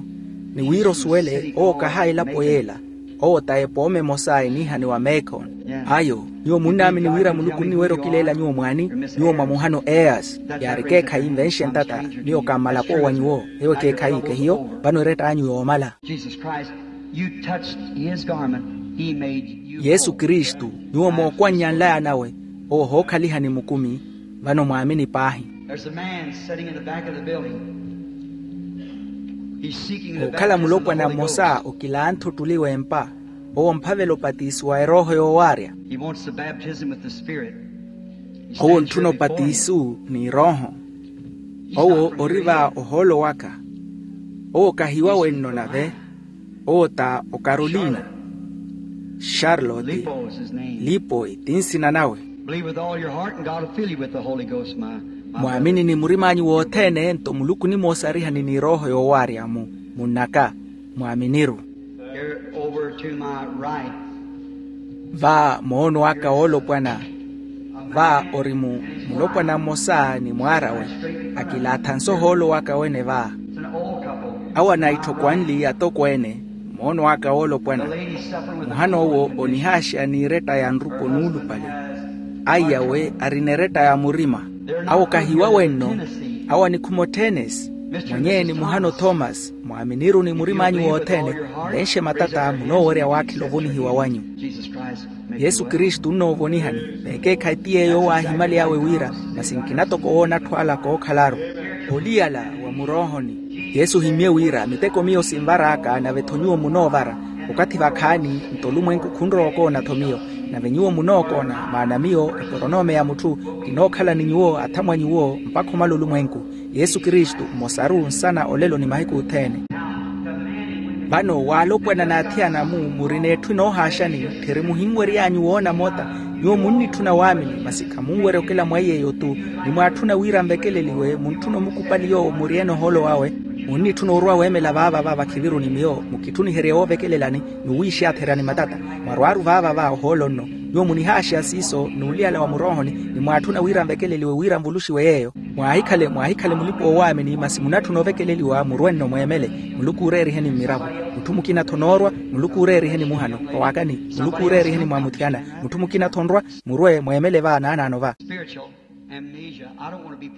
Ni wira osuwele owo kaha elapo yeela. Owo ta epooma emosa eniihaniwa meekon. Ayo. Nyuwo munnaamini wira muluku onniwerya okileela nyuwo mwaani? Nyuwo mwa muhano eyasi. Yaari ekeekhayi nvenxe ntata. Miyo kammalapo wa nyuwo. Eyo ekeekhayi kehiyo. Vano eretta anyu yoomala. Yesu kristu. Nyuwo mookwannya nlaya nawe. Owo ohookhaliha ni mukumi. Vano mwaamini paahi. Ookhala mulopwana mmosa okilantha ottuli w'empa. Owo omphavela opatisiwa erooho yoowaarya. Owo ontthuna opatisu n'irooho. Owo ori va ohoolo waka. Owo kahiwa wenno nave. Owo ta okarolina. Charlotte. Lipoi ti nsina nawe. Mwaamini ni murim'anyu wothene nto muluku onimoosarihani n'irooho yoowaarya-mu. Munn'aka. Mwaaminiru. Va moono aka woolopwana. Va ori mu mulopwana mmosa ni mwaar'awe. Akilaatha-nso ohoolo waka wene va. Awo anaitthoku anli atokweene. Moono aka woolopwana. Muhana owo onihaaxeya n'iretta ya nrupo nuulupale. Aiyawe arina eretta ya murima. Awo kahiwa wenno. Awo anikhuma otthenesi. Mwenyeeni muhano thomas, mwaaminiruni murim'anyu wothene, mulenxe matata munoowerya waakhila ovonihiwa wanyu. Yesu kristu onnoovonihani, veekeekhayi ti yeeyo owo aahimaly'awe wira, masi nkina toko woona atthu ala kookhalaru. Oliyala wa muroohoni. Yesu ohimmye wira miteko miyo sinvar'aka nave-tho nyuwo munoovara. Okathi vakhaani nto olumwenku khunrowa okoona-tho miyo, nave nyuwo munookoona, maana miyo eporonome ya mutthu, kinookhala ni nyuwo athamwa nyuwo mpakha omala olumwenku. Yesu kristu mmosaru nsana olelo ni mahiku othene. Vano waalopwana n'athiyana-mu murina etthu enoohaaxani, tthiri muhinwery'anyu woona mota. Nyuwo munnitthuna waamini masi khamunwerya okela mwa iy'eyo-tu. Ni mwaatthuna wira nvekeleliwe muntthuna omukupali yoowo muryeene ohoolo wawe. Munnitthuna orwa weemela vaava va vakhiviruni miyo mukitthuniherye woovekelelani, ni wiixiyatherani matata. Mwarwaaru vaava va ohoolo nno. Nyuwo munihaaxeya siiso n'uliyala wa muroohoni, ni mwaatthuna wira nvekeleliwe wira nvuluxiwe yeeyo. Mwaahikhale mwaahikhale mulipa-oowaamini masi munatthuna ovekeleliwa murwe nno mweemele. Muluku ooreeriheni mmiravo. Mutthu mukina-tho onoorwa. Muluku ooreeriheni muhano. Vawaakani. Muluku ooreeriheni mwaamuthiyana. Mutthu mukina-tho onrwa. Murwe mweemele va naanaano va.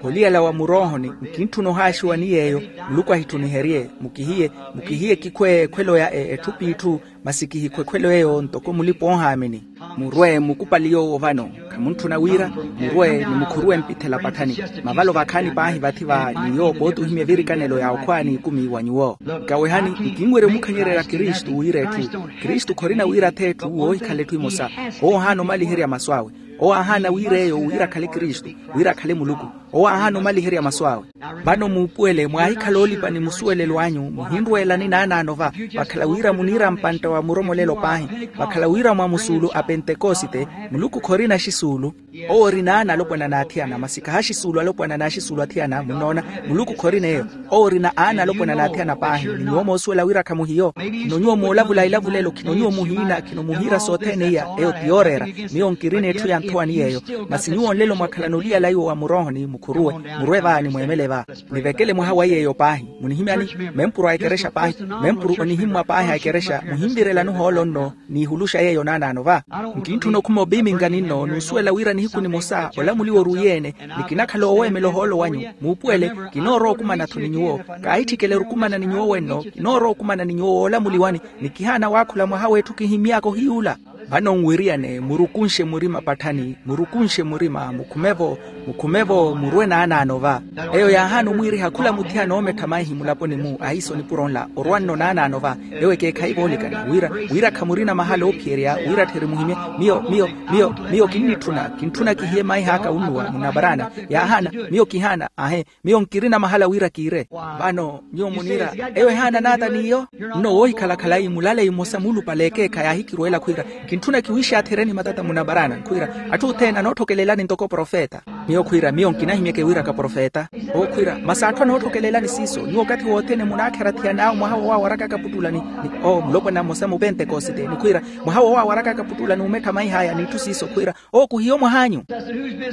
Oliyala wa muroohoni, nkintthuna ohaaxiwa ni yeeyo. Muluku ahitthuniherye. Mukihiye mukihiye kikhwe ekhwelo ya etthu p'itthu. Masi kihikhwa ekhwelo eyo ntoko mulipa-oohaamini. Murwe mukupali yoowo vano. Khamuntthuna wira. Murwe ni mukhuruwe mpithela patthani. Mavalo vakhaani paahi vathi va nyuwo pooti ohimya evirikanelo ya okhwa n'ikumi wa nyuwo. Nkawehani. Nkinwerya omukhanyererya kristu wira etthu. Kristu khorina wira ath'etthu woohikhala etthu emosa. Owo ohaana omaliherya masu awe. Owo aahaana wira eyo wira akhale kristu, wira akhale muluku. Owo aahaana omaliherya masu awe. Vano muupuwele mwaahikhala oolipa ni musuwelelo anyu muhinrweelani naanaano va. Vakhala wira muniira mpantta wa muromolelo paahi. Vakhala wira mwa musuulu a pentekosite. Muluku khorina axisuulu. Owo ori naana alopwana n'athiyana masi khahaxisuulu alopwana n'axisuulu athiyana munnoona. Muluku khorina eyo. Owo orina aana alopwana n'athiyana paahi ni nyuwo moosuwela wira khamuhiyo. Khino nyuwo moolavula ilavulelo khino nyuwo muhiina khino muhiira sothene iya. Eyo ti yooreera. Miyo nkirina etthu ya nthowani yeeyo. Masi nyuwo nlelo mwakhalana oliyala iwo wa muroohoni mukhuruwe. Murwe va ni mweemele va. Nivekele mwaha wa yeeyo paahi. Munihimyani. Mempuru a ekerexa paahi. Mempuru onihimmwa paahi a ekerexa muhinvirelani ohoolo nno. N'ihuluxa yeeyo naanaano va. Nkintthuna okhuma opiminga ninno n'usuwela wira nihiku nimosa olamuliwa oruwiye-ene. Ni kinakhala ooweemela ohoolo wanyu. Muupuwele. Kinoorowa okumana-tho ni nyuwo. Kaahitthikela erukumana ni nyuwo wenno kinoorowa okumana ni nyuwo woolamuliwani. Ni kihaana waakhula mwaha w'etthu kihimmy'aka ohiy'ula. Vano nwiriyane murukunxe murima patthani. Murukunxe murima mukhume-vo. Mukhume-vo murwe naanaano va. Eyo yaahaana omwiiriha khula muthiyana oomettha maihi mulaponi-mu ahiiso nipuro nla orwa nno naanaano va. Eyo ekeekhayi voolikana wira wira khamurina mahala oophiyerya wira tthiri muhimye. Miyo miyo miyo miyo kinnitthuna. Kintthunakihiye maih'aka unnuwa munaparaana. Yaahaana. Miyo kihaana ahe. Miyo nkirina mahala wira kiire. Vano nyuwo muniira eyo ehaana naata n'iyo. Nno woohikhala khalayi mulaleyi mmosa muulupale ekeekha yaahikirweela khwiira, kintthuna kiwiixathereni matata munaparaana khwiira, atthu othene anootthokelelani ntoko profeta. Miyo khwiira miyo nkinahimyeke wiiraka profeta. Owo khwiira masi atthu anootthokelelani siiso nyuwo okathi wothene munaakhera thiyan'awe mwaha woowawarakaka putulani. Ni owo mulopwana mmosa mupentekosite ni khwiira, mwaha woowawarakaka putulani umettha maih'aya n'itthu siiso khwiira. Owo khuhiyo mwah'anyu.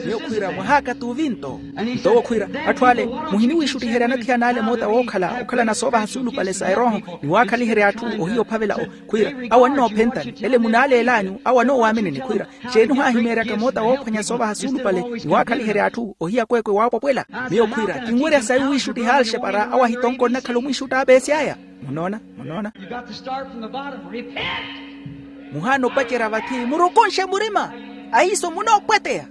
Miyo khwiira mwah'aka t'uvinto. Nto owo khwiira, atthu ale, muhiniwiixuttiheryana athiyana ale moota wookhala okhalana soovaha suulupale sa erooho, ni waakhaliherya atthu ohiya ophavela o khwiira, awo annoophentani ele munaaleel'anyu awo anoowaaminini khwiira, xeeni ohaahimeeryaka moota woophwanya soovaha suulupale ni waakhaliherya atthu ohiya kweekwe waapwapwela. Miyo khwiira kinwerya sayi owiixuttiha alxepara awo ahitonko onnakhala omwiixutta apeesy'aya. Munoona? Munoona? Muhaana opacerya vathi murukunxe murima, ahiiso munoopweteya.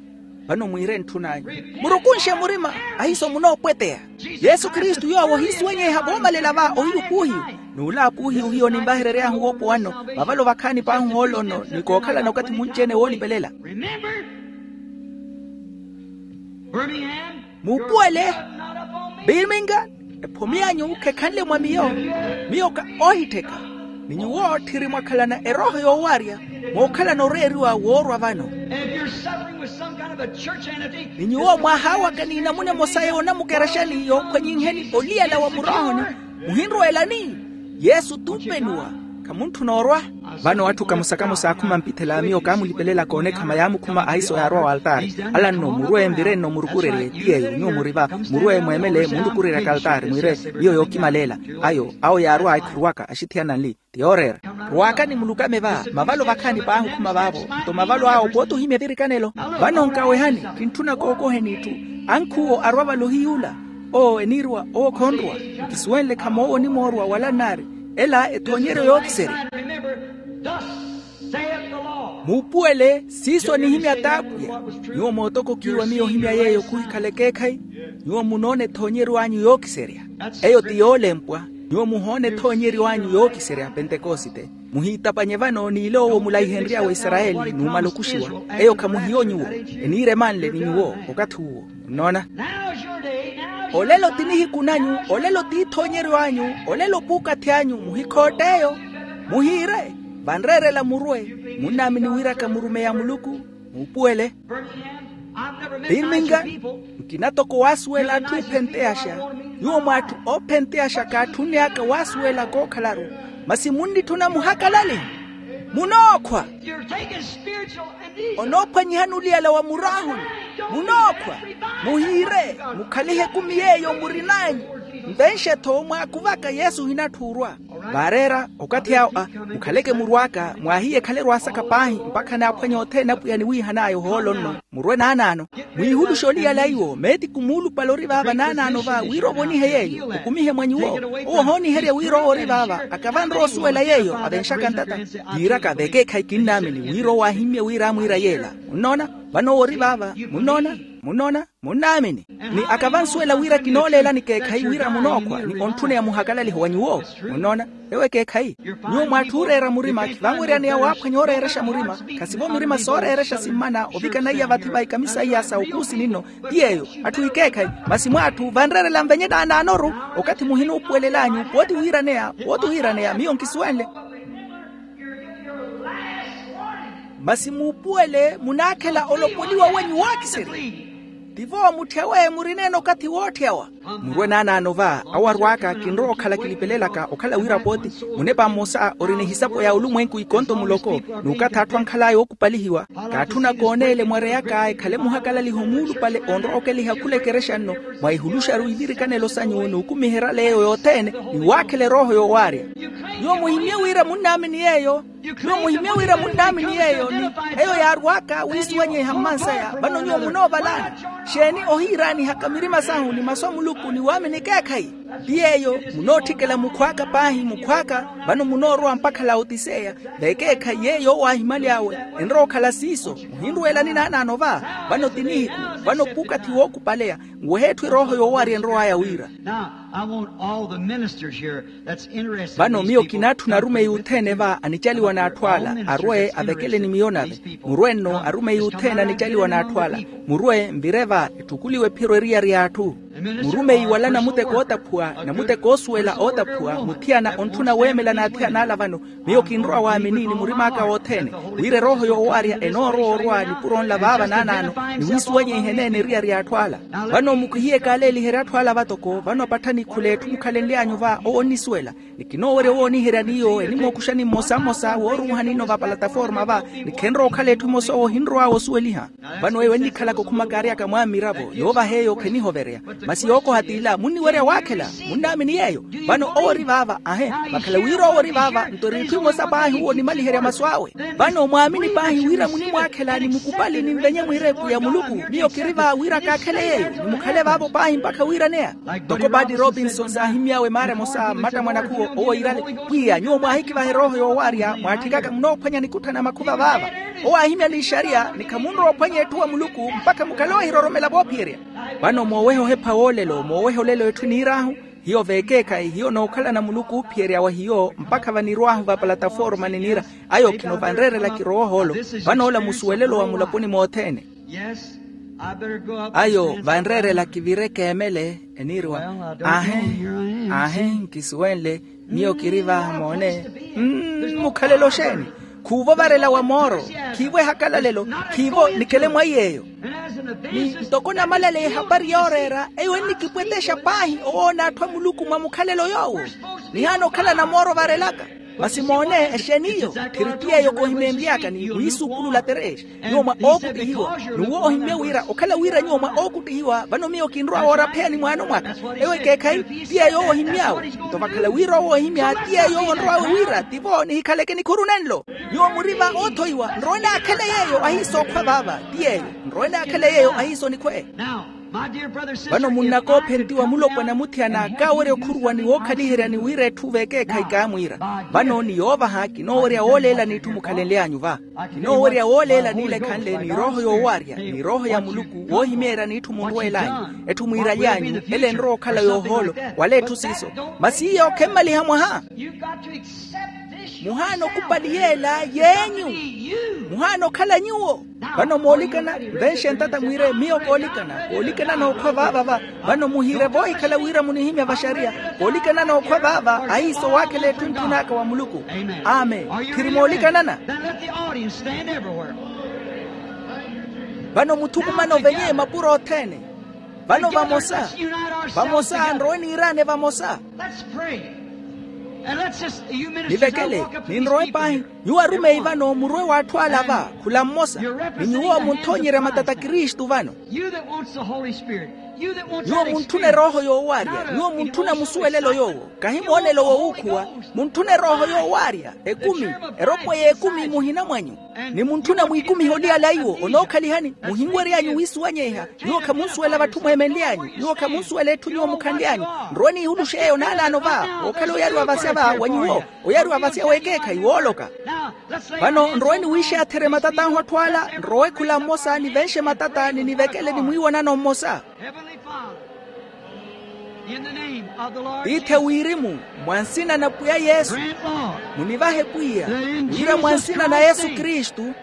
Vano mwiire ntthun'anyu, murukunxe murima, ahiiso munoopweteya. Yesu kristu yoowo ohiisuwenyeha voomalela va ohiyu puuhiyu. N'ula puuhiyu hiyo ninvaherery'ahu woopowa nno, vavalo vakhaani p'ahu hoolo nno ni kookhalana okathi munci-ene woolipelela. Muupuwele. Birmingham, ephomi anyu khekhanle mwa miyo. Miyo ka oohittheka. Ni nyuwo tthiri mwakhalana erooho yoowarya, mookhalana oreeriwa woorwa vano. Ni nyuwo mwahaawaka n'inamuna emosa yoonamukeraxani yookhwanyinheni oliyala wa muroohoni, muhinrweelani? Yesu t'upenuwa. Khamuntthuna orwa. Vano atthu kamosa kamosa aakhuma mpithela miyo kaamulipelelaka onekhama yaamukhuma ahiiso yaarwa w'altaari. Ala nno murwe nvire nno murukurerye ti yeeyo nyuwo muri va. Murwe mweemele munrukureryaka altaari mwiire. Miyo yookimaleela. Ayo awo yaarwa ekhuruwaka axithiyana nli. Ti yooreera. Rwaakani mulukame va mavalo vakhaani paahukhuma vaavo. Nto mavalo awo pooti ohimya evirikanelo. Vano nkawehani. Kintthuna kookoheni itthu. Ankhuwo arwa vale ohiy'ula. Owo eniirwa owo khonrwa. Nkisuwenle khamoowo onimoorwa wala nnaari. Ela ethoonyeryo yookiserya. Muupuwele siiso nihimya t'apwiya. Nyuwo mootokokiwa miyo ohimya yeeyo khuhikhala ekeekhayi. Nyuwo munoona ethoonyeryo anyu yookiserya. Eyo ti yoolempwa. Nyuwo muhoona ethoonyeryo anyu yookiserya pentekosite. Muhiitapanye vano n'iloowo mulaihenryawe isarayeli numala okuxiwa. Eyo khamuhiyo nyuwo. Eniira emanle ni nyuwo okathi uwo. Nnoona? Olelo ti nihiku nanyu. Olelo t'ithoonyeryo anyu. Olelo p'ukathi anyu muhikhoott'eyo. Muhiire. Vanreerela murwe. Munnaamini wiraka murumeya muluku. Muupuwele. Birmingham. Nkina toko waasuwela atthu oophenteyaxa. Nyuwo mw'atthu oophenteyaxa kaatthunny'aka waasuwela kookhalaru. Masi munnitthuna muhakalalihi. Munookhwa. Onoophwanyihani oliyala wa muraahuni. Munookhwa. Muhiire. Mukhalihe ekumi yeeyo murin'anyu. Nvenxe-tho mwaakuvaka yesu ohinatthuurwa. Vaareera okathi awo a mukhaleke murw'aka mwaahiye ekhale erwaasaka paahi mpakha naaphwanye othene apwiya niwiihan'aya ohoolo nno. Murwe naanaano. Mwiihuluxe oliyala iwo meetiku muulupale ori vaava naanaano va wira ovonihe yeeyo okumihe mwa nyuwo. Owo ohooniherya wira owo ori vaava akavanre osuwela yeeyo avenxaka ntata. Yiiraka vekeekhayi kinnaamini wira owo aahimmye wira amwiira yeela. Munnoona? Vano owo ori vaava. Munnoona? Munnoona? Munnaamini. Ni akavansuwela wira kinooleelani ekeekhayi wira munookhwa ni ontthuneya muhakalaliho wa nyuwo. Munnoona? Ewo ekeekhayi. Nyuwo mw'atthu ooreera murima khivanweryaneya waaphwanya ooreerexa murima. Khasivo mirima sooreerexa simmana ovikana iya vathi va ikamisayi ya saukusi ninno. Ti yeeyo. Atthu ekeekhayi. Masi mw'atthu vanreerela nvenye naanaanoru. Okathi muhinuupuwelel'anyu pooti wiiraneya pooti wiiraneya miyo nkisuwenle. Masi muupuwele munaakhela olopoliwa wenyu wookiserya. Tivo mutthyawe murineena okathi wootthy'awa. Murwe naanaano va awo arw'aka kinrowa okhala kilipelelaka okhala wira pooti. Munepa mmosa ori ni ehisapo ya olumwenku ikonto muloko. N'ukathi atthu ankhal'aya ookupalihiwa. Kaatthuna kooneele mwareyaka ekhale muhakalaliho muulupale onrowa okeliha khula ekerexa nno. Mwaihuluxaru ivirikanelo sanyu n'ukumiherya leeyo yothene. Ni waakhela erooho yoowaarya. Nyuwo muhimmye wira munnaamini yeeyo. Nyuwo muhimmye wira munnaamini yeeyo ni eyo yaarw'aka wiisuwanyeiha mmansaya vano nyuwo munoovalaani. Xeeni ohiiraanihaka mirima sahu ni masu a muluku ni waamini ekeekhayi. Ti yeeyo. Munootthikela mukhw'aka paahi mukhw'aka. Vano munoorowa mpakha laotiseya. Vekeekhayi yeeyo owo aahimyaly'awe enrowa okhala siiso. Muhinruwelani naanaano va. Vano ti nihiku. Vano p'ukathi wookupaleya. Nwehe etthu erooho yoowarya enrow'aya wira. Vano miyo kinaatthuna arumeyi othene va anicaliwa n'atthu ala arwe avekele ni miyo nave. Murwe nno arumeyi othene anicaliwa n'atthu ala. Murwe nvire va etthukuliwe ephiro eriyari y'atthu. Murumeyi wala namuteko ootaphuwa namuteko oosuwela ootaphuwa muthiyana ontthuna weemela n'athiyana ala vano. Miyo kinrowa waamini ni murim'aka wothene wira erooho yoowarya enoorowa orwa nipuro nla vaava naanaano. Ni wiisuwanyeiha eneene eriyari y'atthu ala. Vano mukihiye kaaleeliherya atthu ala vatoko vano apattha ni khula etthu mukhalenly'anyu va owo onnisuwela. Ni kinoowerya owooniherya n'iyo enimookuxani mmosa mmosa wooruuha ninno va palataforma va. Ni khenrowa okhala etthu emosa owo ohinrow'awe osuweliha. Vano eyo ennikhalaka okhuma kaary'aka mwaammiravo yoovaha eyo khenihoverya. Masi yookoha t'ila munniwerya waakhela. Munnaamini yeeyo. Vano owo ori vaava ahe. Vakhala wira owo ori vaava nto eri itthu imosa paahi owo onimaliherya masu awe. Vano mwaamini paahi wira munimwaakhela ni mukupali ni nvenye mwiireeku ya muluku. Miyo kiri va wira kaakhele yeeyo ni mukhale vaavo paahi mpakha wiiraneya. Toko paati robinson saahimmy'awe maara emosa mmatta mwanakhuwo owo iirale. Pwiya nyuwo mwaahikivaha erooho yoowarya mwaatthikaka munoophwanya nikutthana makhuva vaava. Owo aahimya n'ixariya ni khamunrowa ophwanya etthu wa muluku mpakha mukhale oohiroromela voophiyerya. Vano moowehe ohepha woolelo moowehe olelo etthu eniir'ahu. Hiyo veekeekhayi hiyo nookhalana muluku oophiyerya wa hiyo mpakha vanirw'ahu va palataforma niniira. Ayo khino vanreerela kirowa ohoolo. Vano ola musuwelelo wa mulaponi mothene. Ayo vanreerela kivire keemele. Eniiriwa ahe ahe nkisuwenle. Miyo kiri vaha moone. Mukhalelo xeeni? Khuuvo varela wa mooro. Khiivo ehakalalelo. Khiivo nikele mwa iy'eyo. Ni ntoko namalaleya ehapari yooreera eyo ennikipwetexa paahi owoona atthu a muluku mwa mukhalelo yoowo. Nihaana okhalana mooro varelaka. Masi moone exeeni iyo? Tthiri ti yeeyo koohimeenry'aka ni wiisuukulula terexa. Nyuwo mwa ookuttihiwa n'uwo ohimmye wira okhala wira nyuwo mwa ookuttihiwa vano miyo kinrowa woorapheyani mwaano mwaka. Eyo ekeekhayi ti yeeyo owo ohimmy'awe. Nto vakhala wira owo ohimya ti yeeyo owo onrow'awe wira tivo nihikhaleke nikhuru nenlo. Nyuwo muri va oothoiwa nrowe naakhele yeeyo ahiisa okhwa vaava. Ti yeeyo nrowe naakhele yeeyo ahiisa onikhwe. Vano munnakoophentiwa mulopwana muthiyana kaawerya okhuruwa ni wookhaliheryani wira etthu veekeekhayi kaamwiira. Vano ni yoovaha kinoowerya wooleelani itthu mukhalenly'anyu va. Kinoowerya wooleelani ile ekhanle ni rooho yoowaarya ni rooho ya muluku woohimeeryani itthu munrweel'anyu, etthu mwiiraly'anyu ele enrowa okhala yoohoolo. Wala etthu siiso. Masi iyo khemmaliha mwaha. Muhaana okupali yeela yeenyu. Muhaana okhala nyuwo. Vano moolikana, nvenxe ntata mwiire miyo koolikana koolikana nookhwa vaava va. Vano muhiire voohikhala wira munihimya vaxariya. Koolikana nookhwa vaava ahiiso waakhela etthu ntthun'aka wa muluku. Amen. Khiri moolikanana? Vano muthukumane ovenye mapuro othene. Vano vamosa. Vamosa nrowe niiraane vamosa. Nivekele. Ninrowe paahi. Nyuwo arumeyi vano murwe w'atthu ala va. Khula mmosa. Ni nyuwo munthoonyerya matata kristu vano. Nyuwo muntthuna erooho yoowaarya. Nyuwo muntthuna musuwelelo yoowo. Kahi moonelo wowuukhuwa. Muntthuna erooho yoowaarya. Ekumi. Eropo y'ekumi muhina mwanyu. Ni muntthuna mwiikumiha oliyala iwo onookhalihani. Muhinwery'anyu wiisuwanyeiha. Nyuwo khamunsuwela vatthu mweemenly'anyu. Nyuwo khamunsuwela etthu nyuwo mukhanly'anyu. Nrowe niihuluxe eyo naanaano va. Ookhala oyari wavasya va wa nyuwo. Oyari wavasya w'ekeekhayi wooloka. Vano nrowe niwiixaatherye matat'ahu atthu ala. Nrowe khula mmosa nivenxe matata ni nivekele ni mwiiwanano mmosa. Tiithi a wirimu, mwa nsina na pwiya yesu. Munivahe pwiya. Wira mwa nsina na yesu kristu,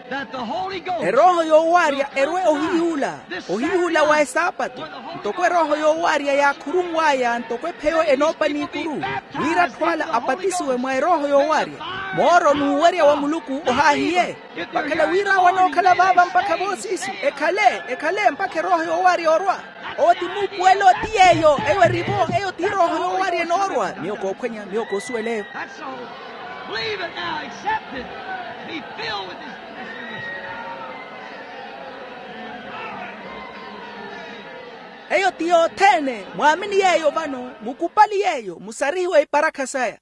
erooho yoowaarya erwe ohiyuula. Ohiyuula wa esaapatu. Ntoko erooho yoowaarya yaakhurunw'aya ntoko epheyo enoopa n'ikuru. Wira atthu ala apatisiwe mwa erooho yoowaarya. Mooro n'uwerya wa muluku ohaahiye. Vakhala wira awo anookhala vaava mpakha voosiisu. Ekhale ekhale mpakha erooho yoowaarya orwa. Owo ti muupuwelo ti yeeyo eyo erivo. Eyo ti erooho yoowaarya enoorwa miyo koophwenya miyo koosuwela eyo. Eyo ti yothene mwaamini yeeyo vano mukupali yeeyo musarihiwe iparakha saya.